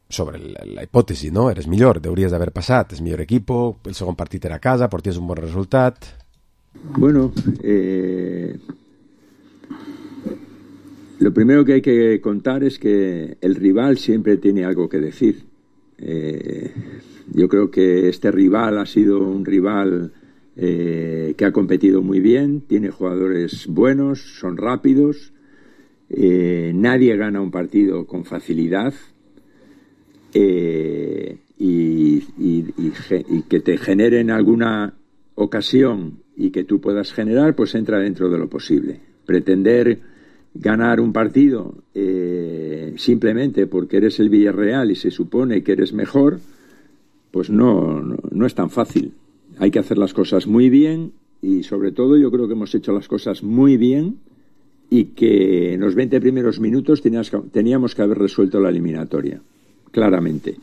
Sobre la, la hipòtesi, no? Eres millor, hauries d'haver passat, és millor equipo, el segon partit era a casa, porties un bon resultat. Bueno, eh, lo primero que hay que contar es que el rival siempre tiene algo que decir. Eh, yo creo que este rival ha sido un rival eh, que ha competido muy bien, tiene jugadores buenos, son rápidos, eh, nadie gana un partido con facilidad, eh, y, y, y, y que te generen alguna ocasión y que tú puedas generar, pues entra dentro de lo posible. Pretender ganar un partido eh, simplemente porque eres el Villarreal y se supone que eres mejor, pues no, no, no es tan fácil. Hay que hacer las cosas muy bien y sobre todo yo creo que hemos hecho las cosas muy bien y que en los veinte primeros minutos tenías, teníamos que haber resuelto la eliminatoria, claramente.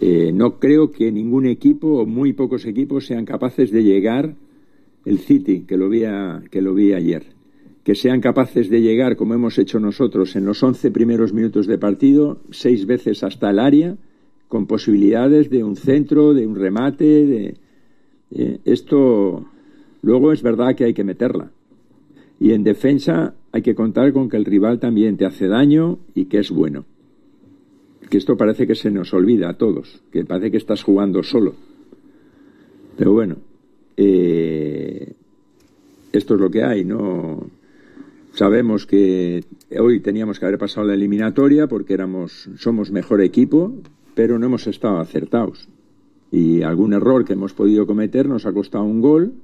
Eh, no creo que ningún equipo o muy pocos equipos sean capaces de llegar, el City, que lo vi, a, que lo vi ayer, que sean capaces de llegar, como hemos hecho nosotros, en los once primeros minutos de partido, seis veces hasta el área, con posibilidades de un centro, de un remate, de... Eh, esto luego es verdad que hay que meterla. Y en defensa hay que contar con que el rival también te hace daño y que es bueno. Que esto parece que se nos olvida a todos, que parece que estás jugando solo. Pero bueno, eh, esto es lo que hay, ¿no? Sabemos que hoy teníamos que haber pasado la eliminatoria porque éramos, somos mejor equipo, pero no hemos estado acertados. Y algún error que hemos podido cometer nos ha costado un gol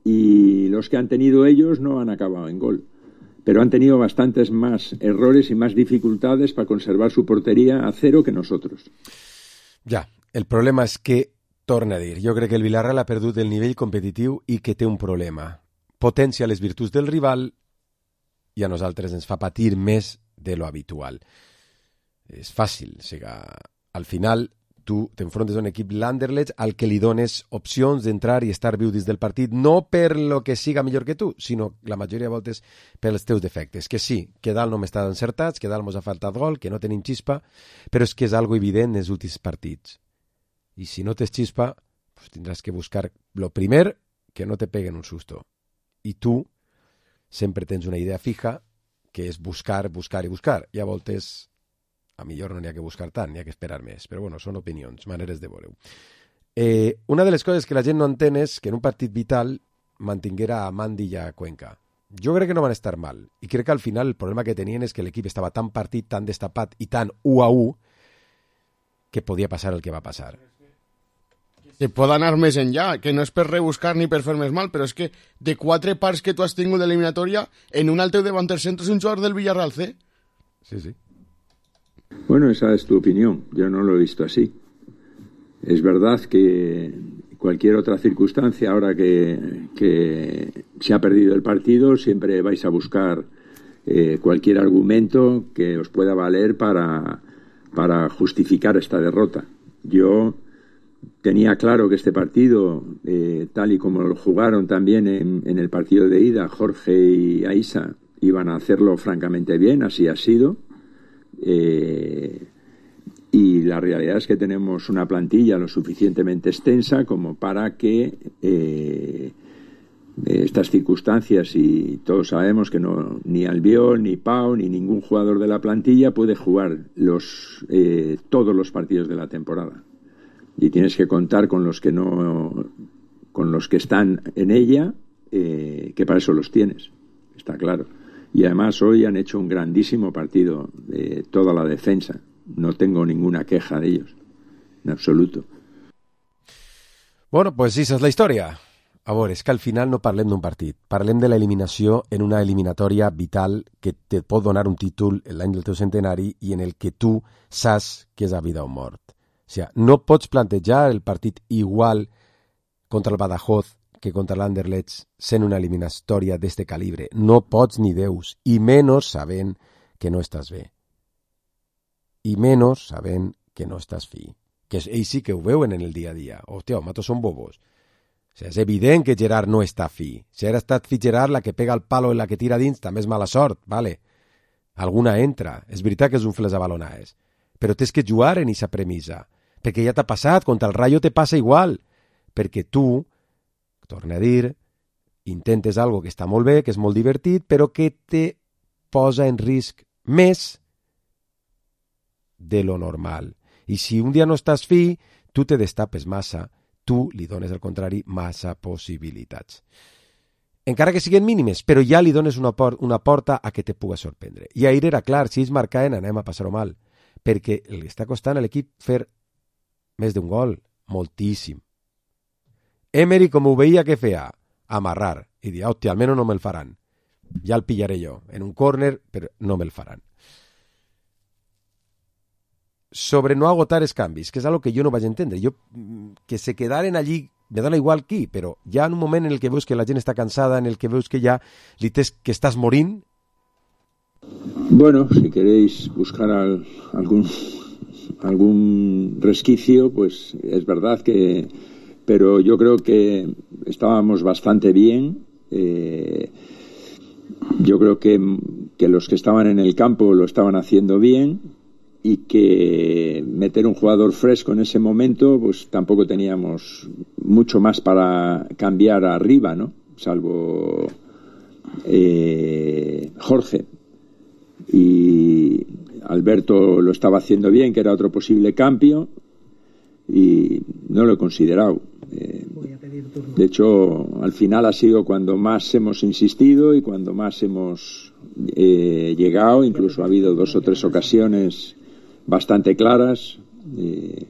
y los que han tenido ellos no han acabado en gol. Pero han tenido bastantes más errores y más dificultades para conservar su portería a cero que nosotros. Ja, el problema és que, torna a dir, jo crec que el Villarreal ha perdut el nivell competitiu i que té un problema. Potencia les virtuts del rival i a nosaltres ens fa patir més de lo habitual. És fàcil, o sigui, al final tu t'enfrontes a un equip l'Anderlecht al que li dones opcions d'entrar i estar viu dins del partit, no per lo que siga millor que tu, sinó la majoria de voltes pels teus defectes. Que sí, que dalt no m'està encertats, que dalt mos ha faltat gol, que no tenim xispa, però és que és algo evident en els últims partits. I si no tens xispa, pues tindràs que buscar lo primer, que no te peguen un susto. I tu sempre tens una idea fija, que és buscar, buscar i buscar. I a voltes a millor no n'hi ha que buscar tant, n'hi ha que esperar més. Però bueno, són opinions, maneres de veure-ho. Eh, una de les coses que la gent no entén és que en un partit vital mantinguera a Mandi i a Cuenca. Jo crec que no van estar mal. I crec que al final el problema que tenien és que l'equip estava tan partit, tan destapat i tan u a u que podia passar el que va passar. Que pot anar més enllà, que no és per rebuscar ni per fer més mal, però és que de quatre parts que tu has tingut d'eliminatòria, en un al teu davanter centre és un jugador del Villarreal C. Sí, sí. Bueno, esa es tu opinión. Yo no lo he visto así. Es verdad que cualquier otra circunstancia, ahora que, que se ha perdido el partido, siempre vais a buscar eh, cualquier argumento que os pueda valer para, para justificar esta derrota. Yo tenía claro que este partido, eh, tal y como lo jugaron también en, en el partido de ida, Jorge y Aisa iban a hacerlo francamente bien, así ha sido. Eh, y la realidad es que tenemos una plantilla lo suficientemente extensa como para que eh, estas circunstancias, y todos sabemos que no, ni Albiol, ni Pau, ni ningún jugador de la plantilla puede jugar los, eh, todos los partidos de la temporada. y tienes que contar con los que no, con los que están en ella, eh, que para eso los tienes, está claro. Y además hoy han hecho un grandísimo partido de toda la defensa. No tengo ninguna queja de ellos, en absoluto. Bueno, pues sí, esa és la història. A veure, és que al final no parlem d'un partit, parlem de l'eliminació en una eliminatòria vital que te pot donar un títol l'any del teu centenari i en el que tu saps que és a vida o mort. O sigui, no pots plantejar el partit igual contra el Badajoz que contra l'Anderlecht sent una eliminatòria d'este calibre. No pots ni deus, i menys sabent que no estàs bé. I menys sabent que no estàs fi. Que ells sí que ho veuen en el dia a dia. Hòstia, matos són bobos. O sigui, és evident que Gerard no està fi. Si ara estat fi Gerard, la que pega el palo i la que tira dins també és mala sort, vale? Alguna entra. És veritat que és un fles a balonades. Però tens que jugar en aquesta premissa. Perquè ja t'ha passat, contra el Rayo te passa igual. Perquè tu, torna a dir, intentes algo que està molt bé, que és molt divertit, però que te posa en risc més de lo normal. I si un dia no estàs fi, tu te destapes massa, tu li dones, al contrari, massa possibilitats. Encara que siguin mínimes, però ja li dones una, por una porta a que te puga sorprendre. I ahir era clar, si ells marcaven anem a passar-ho mal, perquè li està costant a l'equip fer més d'un gol, moltíssim. Emery, com ho veia, què feia? Amarrar. I dir, hòstia, almenys no me'l faran. Ja el pillaré jo, en un córner, però no me'l faran. Sobre no agotar els canvis, que és algo que jo no vaig entendre. Jo, que se quedaren allí, me dona igual qui, però ja en un moment en el que veus que la gent està cansada, en el que veus que ja li tens que estàs morint. Bueno, si queréis buscar al, algún, algún resquicio, pues es verdad que... Pero yo creo que estábamos bastante bien. Eh, yo creo que, que los que estaban en el campo lo estaban haciendo bien y que meter un jugador fresco en ese momento, pues tampoco teníamos mucho más para cambiar arriba, ¿no? Salvo eh, Jorge. Y Alberto lo estaba haciendo bien, que era otro posible cambio, y no lo he considerado. Eh, de hecho, al final ha sido cuando más hemos insistido y cuando más hemos eh, llegado. Incluso ha habido dos o tres ocasiones bastante claras. Eh,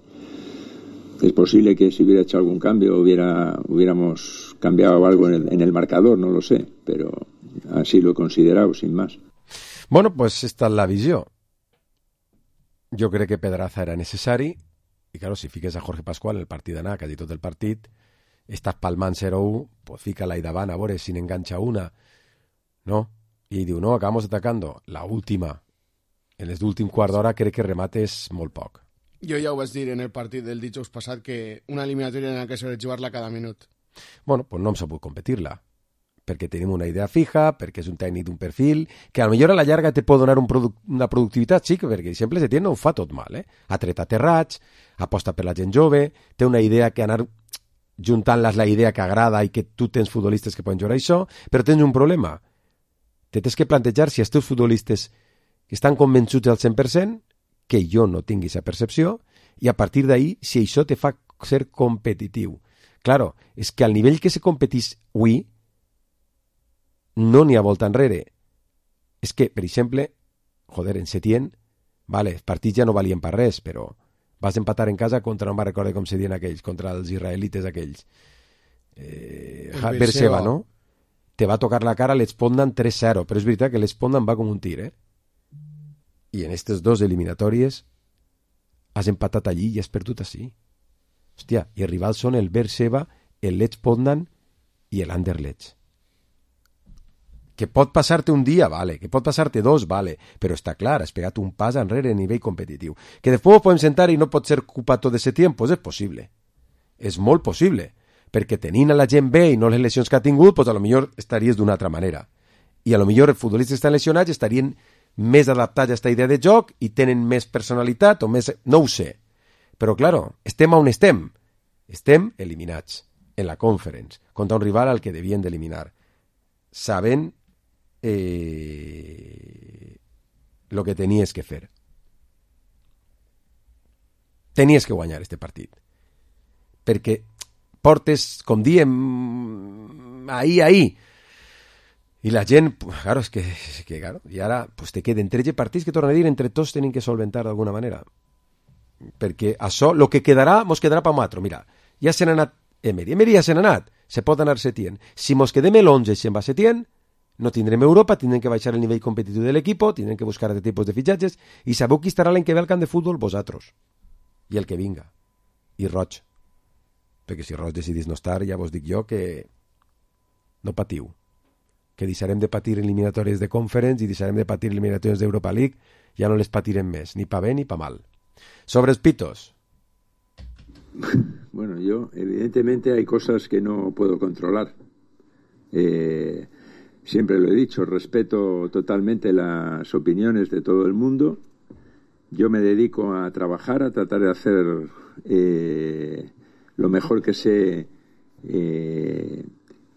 es posible que si hubiera hecho algún cambio hubiera hubiéramos cambiado algo en el, en el marcador, no lo sé, pero así lo he considerado, sin más. Bueno, pues esta és la visió. Jo crec que Pedraza era necessari. I, claro, si fiques a Jorge Pascual en el partit d'anar, quasi tot el partit, estàs palmant zero u, pues fica-la i davant, a veure si n'enganxa una, no? I ell diu, no, acabamos atacando. La última, en l'últim quart d'hora, crec que remates molt poc. Jo ja ho vaig dir en el partit del dijous passat, que una eliminatòria en la que s'ha de jugar-la cada minut. Bueno, pues no hem sabut competir-la, perquè tenim una idea fija, perquè és un tècnic d'un perfil, que a lo millor a la llarga te pot donar un produc una productivitat, sí, perquè sempre se tiene, no ho fa tot mal, eh? Ha tret aterrats, aposta per la gent jove, té una idea que anar juntant-les la idea que agrada i que tu tens futbolistes que poden jugar això, però tens un problema. Te tens que plantejar si els teus futbolistes estan convençuts al cent per cent, que jo no tingui aquesta percepció, i a partir d'ahir, si això te fa ser competitiu. Claro, és que al nivell que se competís avui, no n'hi ha volta enrere. És que, per exemple, joder, en Setién, vale, els partits ja no valien per res, però vas empatar en casa contra, no me'n recordo com se diuen aquells, contra els israelites aquells. Eh, Berseba, no? Te va tocar la cara l'Espondan tres zero, però és veritat que l'Espondan va com un tir, eh? I en aquestes dos eliminatòries has empatat allí i has perdut així. Hòstia, i els rivals són el Berseba, el l'Espondan i l'Anderlecht. Que pot passar-te un dia, vale, que pot passar-te dos, vale, però està clar, has pegat un pas enrere a nivell competitiu. Que després podem sentar i no pot ser culpa tot d'aquest temps, pues és possible. És molt possible, perquè tenint a la gent bé i no les lesions que ha tingut, pues a lo millor estaries d'una altra manera. I a lo millor els futbolistes estan lesionats estarien més adaptats a aquesta idea de joc i tenen més personalitat o més... No ho sé. Però, claro, estem on estem. Estem eliminats en la Conference contra un rival al que devien d'eliminar. Sabent Eh, lo que tenies que fer. Tenies que guanyar este partit. perquè portes, com diem, ahí, ahí. I la gent, claro, és que, és que claro, i ara pues, te queden tretze partits que tornen a dir entre tots tenen que solventar d'alguna manera. Perquè això, el que quedarà, mos quedarà pa matro. Mira, ja se n'ha anat Emery. Emery ja se n'ha anat. Se pot anar Setién. Si mos quedem l'onze i se'n va Setién, no tindrem Europa, tindrem que baixar el nivell competitiu de l'equip, tindrem que buscar altres tipus de fitxatges, i sabeu qui estarà l'any que ve al camp de futbol? Vosaltres. I el que vinga. I Roig. Perquè si Roig decidís no estar, ja vos dic jo que no patiu. Que deixarem de patir eliminatòries de Conference i deixarem de patir eliminatòries d'Europa League, ja no les patirem més, ni pa bé ni pa mal. Sobre els pitos. Bueno, yo, evidentemente hay cosas que no puedo controlar. Eh, siempre lo he dicho, respeto totalmente las opiniones de todo el mundo. Yo me dedico a trabajar, a tratar de hacer eh, lo mejor que sé eh,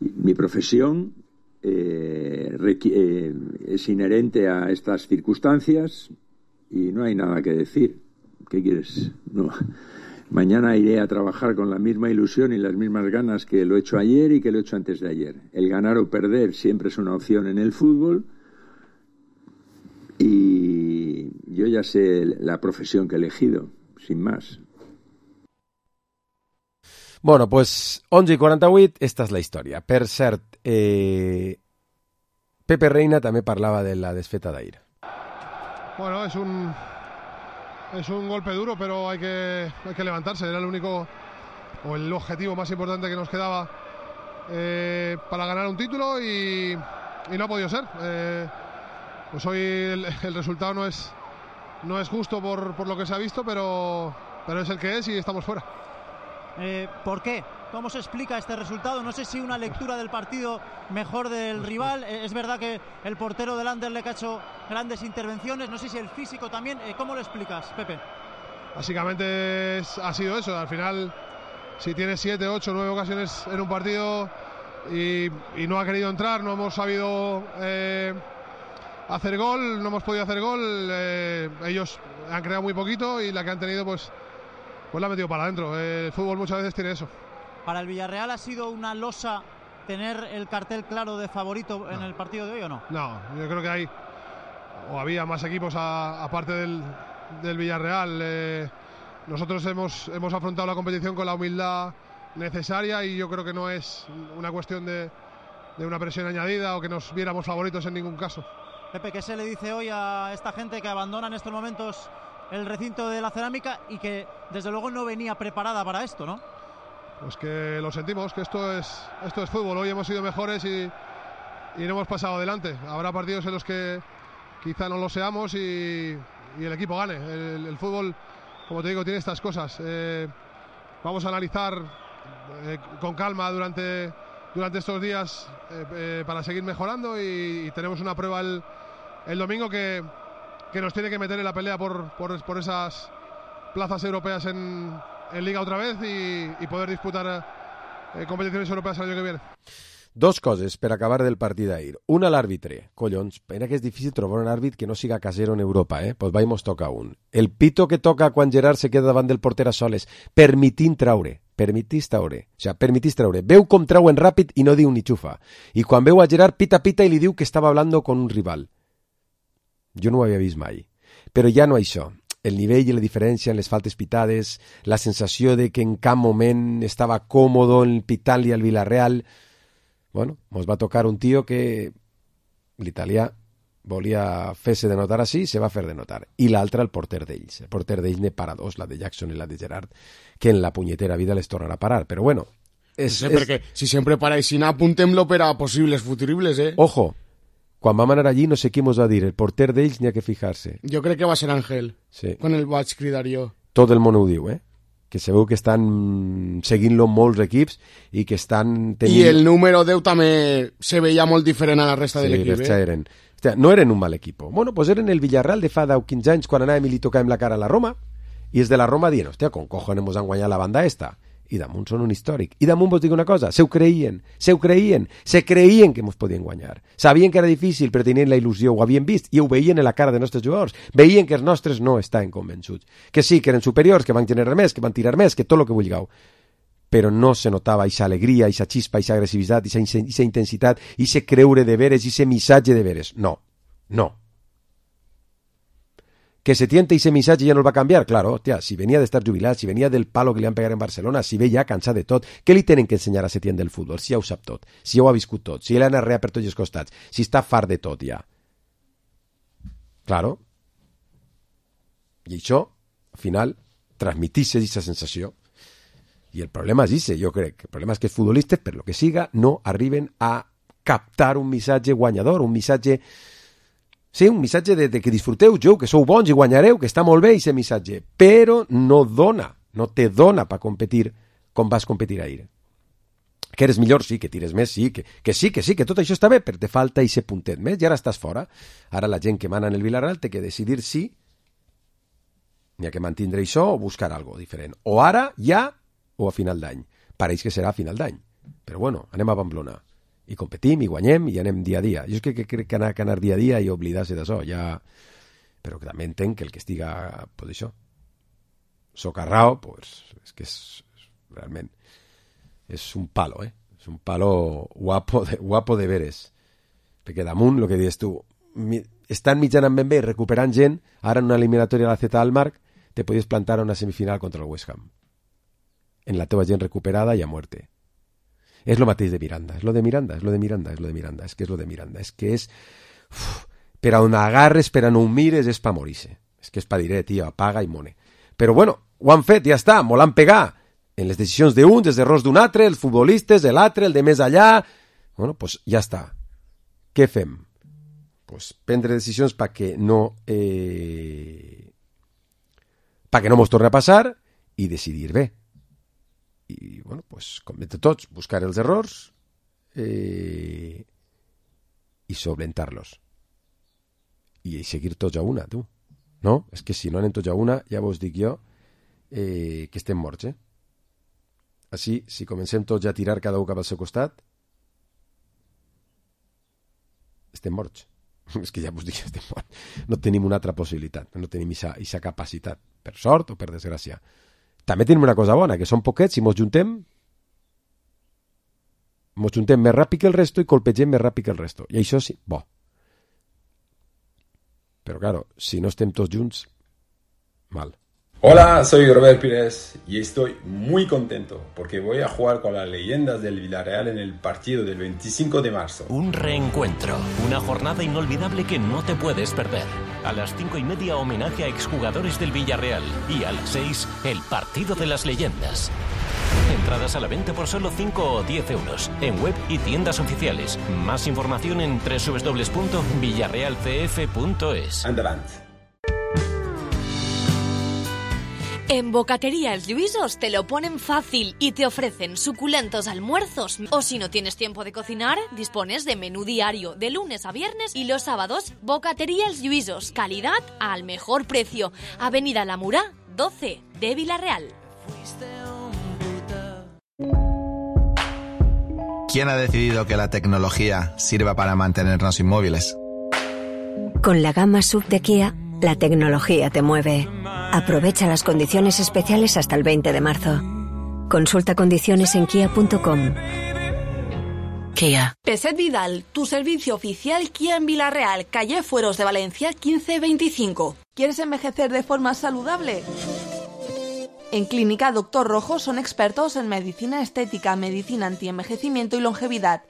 mi profesión. Eh, eh, es inherente a estas circunstancias y no hay nada que decir. ¿Qué quieres? No. Mañana iré a trabajar con la misma ilusión y las mismas ganas que lo he hecho ayer y que lo he hecho antes de ayer. El ganar o perder siempre es una opción en el fútbol y yo ya sé la profesión que he elegido, sin más. Bueno, pues onze i quaranta-vuit, esta és la història. Per cert, eh, Pepe Reina també parlava de la desfeta d'ahir. Bueno, es un es un golpe duro, pero hay que hay que levantarse. Era el único o el objetivo más importante que nos quedaba eh, para ganar un título y, y no ha podido ser. Eh, pues hoy el, el resultado no es no es justo por, por lo que se ha visto, pero pero es el que es y estamos fuera. Eh, ¿Por qué? ¿Cómo se explica este resultado? No sé si una lectura del partido mejor del rival. Eh, es verdad que el portero del Anderlecht ha hecho grandes intervenciones. No sé si el físico también. Eh, ¿Cómo lo explicas, Pepe? Básicamente es, ha sido eso. Al final, si tienes siete, ocho, nueve ocasiones en un partido y, y no ha querido entrar, no hemos sabido eh, hacer gol, no hemos podido hacer gol. Eh, ellos han creado muy poquito y la que han tenido, pues... Pues la ha metido para adentro. El fútbol muchas veces tiene eso. ¿Para el Villarreal ha sido una losa tener el cartel claro de favorito en no. el partido de hoy o no? No, yo creo que hay o había más equipos a, aparte del, del Villarreal. Eh, nosotros hemos, hemos afrontado la competición con la humildad necesaria y yo creo que no es una cuestión de, de una presión añadida o que nos viéramos favoritos en ningún caso. Pepe, ¿qué se le dice hoy a esta gente que abandona en estos momentos el recinto de la Cerámica y que desde luego no venía preparada para esto, ¿no? Pues que lo sentimos, que esto es esto es fútbol. Hoy hemos sido mejores y, y no hemos pasado adelante. Habrá partidos en los que quizá no lo seamos y, y el equipo gane. El, el fútbol, como te digo, tiene estas cosas. Eh, vamos a analizar eh, con calma durante, durante estos días eh, eh, para seguir mejorando y, y tenemos una prueba el, el domingo que que nos tiene que meter en la pelea por, por, por esas plazas europeas en, en Liga otra vez y, y poder disputar eh, competiciones europeas el año que viene. Dos coses per acabar del partit d'ahir. Una, l'àrbitre. Collons, pena que és difícil trobar un àrbit que no siga casero en Europa, eh? Pues vaig, mos toca un. El pito que toca quan Gerard se queda davant del porter a soles, permitint traure. Permitís traure. O sigui, permitís traure. Veu com trauen ràpid i no diu ni xufa. I quan veu a Gerard, pita, pita i li diu que estava hablando con un rival. Jo no ho havia vist mai. Però ja no això. El nivell i la diferència en les faltes pitades, la sensació de que en cap moment estava còmodo en pitant-li al Villarreal. Bueno, mos va tocar un tio que l'italià volia fer-se de notar així, se va fer de notar. I l'altre, el porter d'ells. El porter d'ells ne para dos, la de Jackson i la de Gerard, que en la punyetera vida les tornarà a parar. Però bueno... És, no sé, és... perquè si sempre para així, apuntem-lo per a possibles futuribles, eh? Ojo, quan vam anar allí no sé qui mos va dir, el porter d'ells n'hi ha que fijar-se. Jo crec que va ser Ángel, sí. Quan el vaig cridar jo. Tot el món ho diu, eh? Que se veu que estan seguint-lo molts equips i que estan tenint... I el número deu també se veia molt diferent a la resta sí, de l'equip, eh? Eren. Hòstia, no eren un mal equip. Bueno, pues eren el Villarreal de fa deu quinze anys quan anàvem i li tocàvem la cara a la Roma i és de la Roma dient, hòstia, con cojones mos han guanyat la banda esta. I damunt són un històric. I damunt vos dic una cosa, se ho creien, se ho creien, se creien que mos podien guanyar. Sabien que era difícil, però tenien la il·lusió, ho havien vist, i ho veien en la cara de nostres jugadors. Veien que els nostres no estaven convençuts. Que sí, que eren superiors, que van generar més, que van tirar més, que tot el que vulgueu. però no se notava esa alegria, esa chispa, esa agressivitat, esa, esa intensitat, ese creure de veres, ese missatge de veres. No, no. Que se tiente ese missatge ja no el va canviar, claro, hòstia, si venia d'estar jubilat, si venia del palo que li han pegat en Barcelona, si ve ja cansat de tot, què li tenen que ensenyar a Setién del futbol? Si ja ho sap tot, si ja ho ha viscut tot, si ell ha anat per tots els costats, si està fart de tot ja. Claro. I això, al final, transmitís aquesta sensació. I el problema és ese, jo crec. El problema és que els futbolistes, per lo que siga, no arriben a captar un missatge guanyador, un missatge... Sí, un missatge de, de que disfruteu, jo, que sou bons i guanyareu, que està molt bé aquest missatge, però no dona, no te dona per competir com vas competir ahir. Que eres millor, sí, que tires més, sí, que, que sí, que sí, que tot això està bé, però te falta aquest puntet més i ara estàs fora. Ara la gent que mana en el Villarreal té que decidir si n'hi ha que mantindre això o buscar algo diferent. O ara, ja, o a final d'any. Pareix que serà a final d'any. Però bueno, anem a Pamplona. I competim, i guanyem, i anem dia a dia. Jo és que crec que anar, que anar dia a dia i oblidar-se d'això, ja... Però que també entenc que el que estiga, pues això, socarrao, pues, és que és, realment, és un palo, eh? És un palo guapo de, guapo de veres. Perquè damunt, el que dius tu, mi, estan mitjanament ben bé, recuperant gent, ara en una eliminatòria a la Z al Marc, te podies plantar a una semifinal contra el West Ham. En la teva gent recuperada i a muerte. És lo mateix de Miranda, és lo de Miranda, és lo de Miranda, és lo de Miranda, és que és lo de Miranda, és que és... Uf, per a on agarres, per a no ho mires, és pa morir-se. És que és pa dir, eh, tio, apaga i mone. Però bueno, ho han fet, ja està, molt han pegat. En les decisions d'un, els errors d'un altre, els futbolistes, de l'altre, el de més allà... Bueno, doncs pues ja està. Què fem? Pues prendre decisions perquè no... Eh... perquè no mos torni a passar i decidir bé. I, bueno, pues, com de tots, buscar els errors eh, i solventar-los. I seguir tots a una, tu. No? És que si no anem tots a una, ja vos dic jo eh, que estem morts, eh? Així, si comencem tots a tirar cada un cap al seu costat, estem morts. És que ja vos dic que estem morts. No tenim una altra possibilitat, no tenim aquesta capacitat, per sort o per desgràcia. També tenim una cosa bona, que som poquets, si mos juntem, mos juntem més ràpid que el resto i colpegem més ràpid que el resto. I això sí, bo. Però claro, si no estem tots junts, mal. Hola, soy Robert Pires y estoy muy contento porque voy a jugar con las leyendas del Villarreal en el partido del veinticinco de marzo. Un reencuentro, una jornada inolvidable que no te puedes perder. A las cinco y media, homenaje a exjugadores del Villarreal y a las seis, el partido de las leyendas. Entradas a la venta por solo cinco o diez euros en web y tiendas oficiales. Más información en doble u doble u doble u punto villarreal c f punto es. Andavant. En Bocatería Els Lluïsos te lo ponen fácil y te ofrecen suculentos almuerzos. O si no tienes tiempo de cocinar, dispones de menú diario de lunes a viernes y los sábados. Bocatería Els Lluïsos, calidad al mejor precio. Avenida La Murá, doce de Villarreal. ¿Quién ha decidido que la tecnología sirva para mantenernos inmóviles? Con la gama sub de Kia, la tecnología te mueve. Aprovecha las condiciones especiales hasta el veinte de marzo. Consulta condiciones en kia punto com. Kia. Peset Vidal, tu servicio oficial Kia en Villarreal, calle Fueros de Valencia quince veinticinco. ¿Quieres envejecer de forma saludable? En Clínica Doctor Rojo son expertos en medicina estética, medicina antienvejecimiento y longevidad.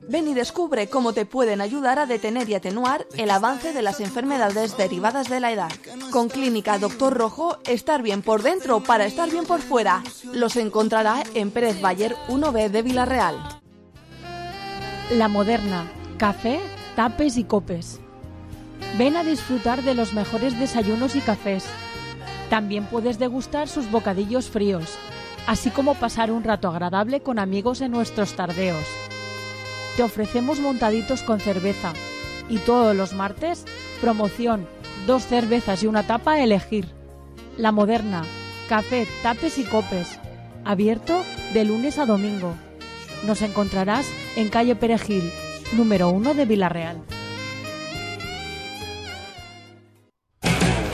Ven y descubre cómo te pueden ayudar a detener y atenuar el avance de las enfermedades derivadas de la edad. Con Clínica Doctor Rojo, estar bien por dentro para estar bien por fuera. Los encontrará en Pérez Bayer uno B de Villarreal. La Moderna, café, tapes y copes. Ven a disfrutar de los mejores desayunos y cafés. También puedes degustar sus bocadillos fríos, así como pasar un rato agradable con amigos en nuestros tardeos. Te ofrecemos montaditos con cerveza y todos los martes, promoción, dos cervezas y una tapa a elegir. La Moderna, café, tapes y copes, abierto de lunes a domingo. Nos encontrarás en calle Perejil, número uno de Villarreal.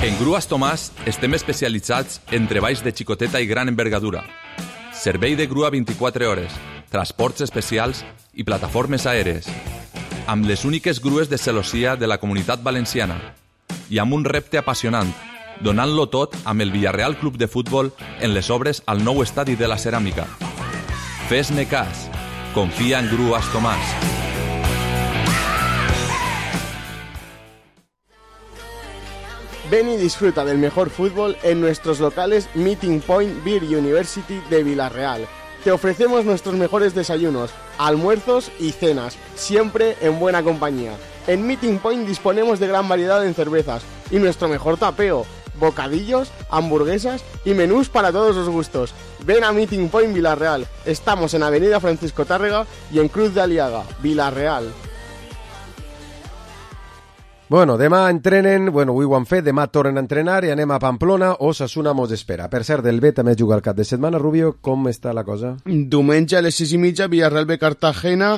En Grues Tomàs estem especialitzats en treballs de xicoteta i gran envergadura. servei de grua vint-i-quatre hores, transports especials i plataformes aèries, amb les úniques grues de celossia de la Comunitat Valenciana i amb un repte apassionant, donant-lo tot amb el Villarreal Club de Futbol en les obres al nou estadi de la Ceràmica. Fes-ne cas. Confia en Grues Tomàs. Ven y disfruta del mejor fútbol en nuestros locales Meeting Point Beer University de Villarreal. Te ofrecemos nuestros mejores desayunos, almuerzos y cenas, siempre en buena compañía. En Meeting Point disponemos de gran variedad en cervezas y nuestro mejor tapeo, bocadillos, hamburguesas y menús para todos los gustos. Ven a Meeting Point Villarreal. Estamos en Avenida Francisco Tárrega y en Cruz de Aliaga, Villarreal. Bueno, demà entrenen, bueno, avui ho han fet, demà tornen a entrenar i anem a Pamplona, Osasuna mos espera. Per cert, del B també juga el cap de setmana. Rubio, com està la cosa? Diumenge a les sis i mitja, Villarreal B Cartagena,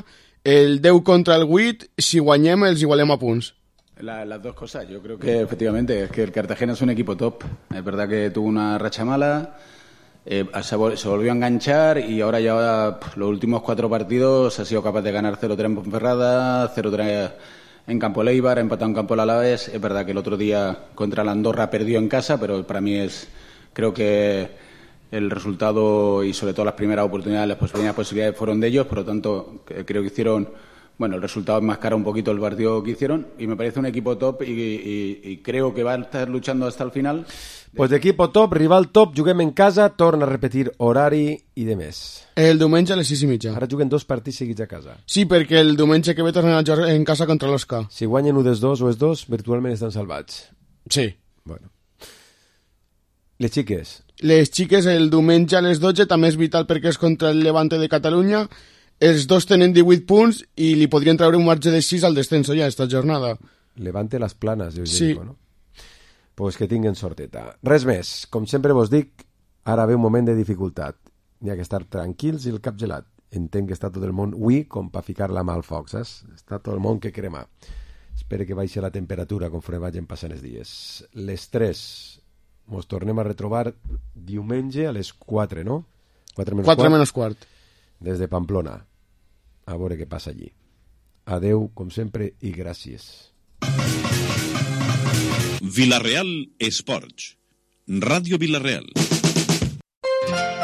el deu contra el vuit, si guanyem els igualem a punts. La, las dos cosas, yo creo que efectivamente es que el Cartagena es un equipo top. Es verdad que tuvo una racha mala, eh, se, vol, se volvió a enganchar y ahora ya pff, los últimos cuatro partidos ha sido capaz de ganar cero tres en Ponferrada, cero tres en Campo Leibar, ha empatado en Campo Alavés. Es verdad que el otro día contra la Andorra perdió en casa, pero para mí es, creo que el resultado y sobre todo las primeras oportunidades, las primeras posibilidades fueron de ellos, por lo tanto creo que hicieron, bueno, el resultado enmascara un poquito el partido que hicieron y me parece un equipo top y, y, y creo que va a estar luchando hasta el final. Pues d'equipo top, rival top, juguem en casa, torna a repetir horari i de més. El diumenge a les sis i mitja. Ara juguen dos partits seguits a casa. Sí, perquè el diumenge que ve tornen a jugar en casa contra l'Osca. Si guanyen un dels dos o els dos, virtualment estan salvats. Sí. Bueno. Les xiques? Les xiques el diumenge a les dotze també és vital perquè és contra el Levante de Catalunya. Els dos tenen divuit punts i li podrien treure un marge de sis al descenso ja esta jornada. Levante les planes, jo sí. dic, no? Pues que tinguin sorteta. Res més. Com sempre vos dic, ara ve un moment de dificultat. N'hi ha que estar tranquils i el cap gelat. Entenc que està tot el món ui com per ficar-la mà al foc, saps? Està tot el món que crema. Espero que baixi la temperatura conforme vagin passant els dies. Les tres mos tornem a retrobar diumenge a les quatre, no? quatre menys quatre menys quart. Des de Pamplona. A veure què passa allí. Adeu, com sempre, i gràcies. Villarreal Esports. Ràdio Villarreal.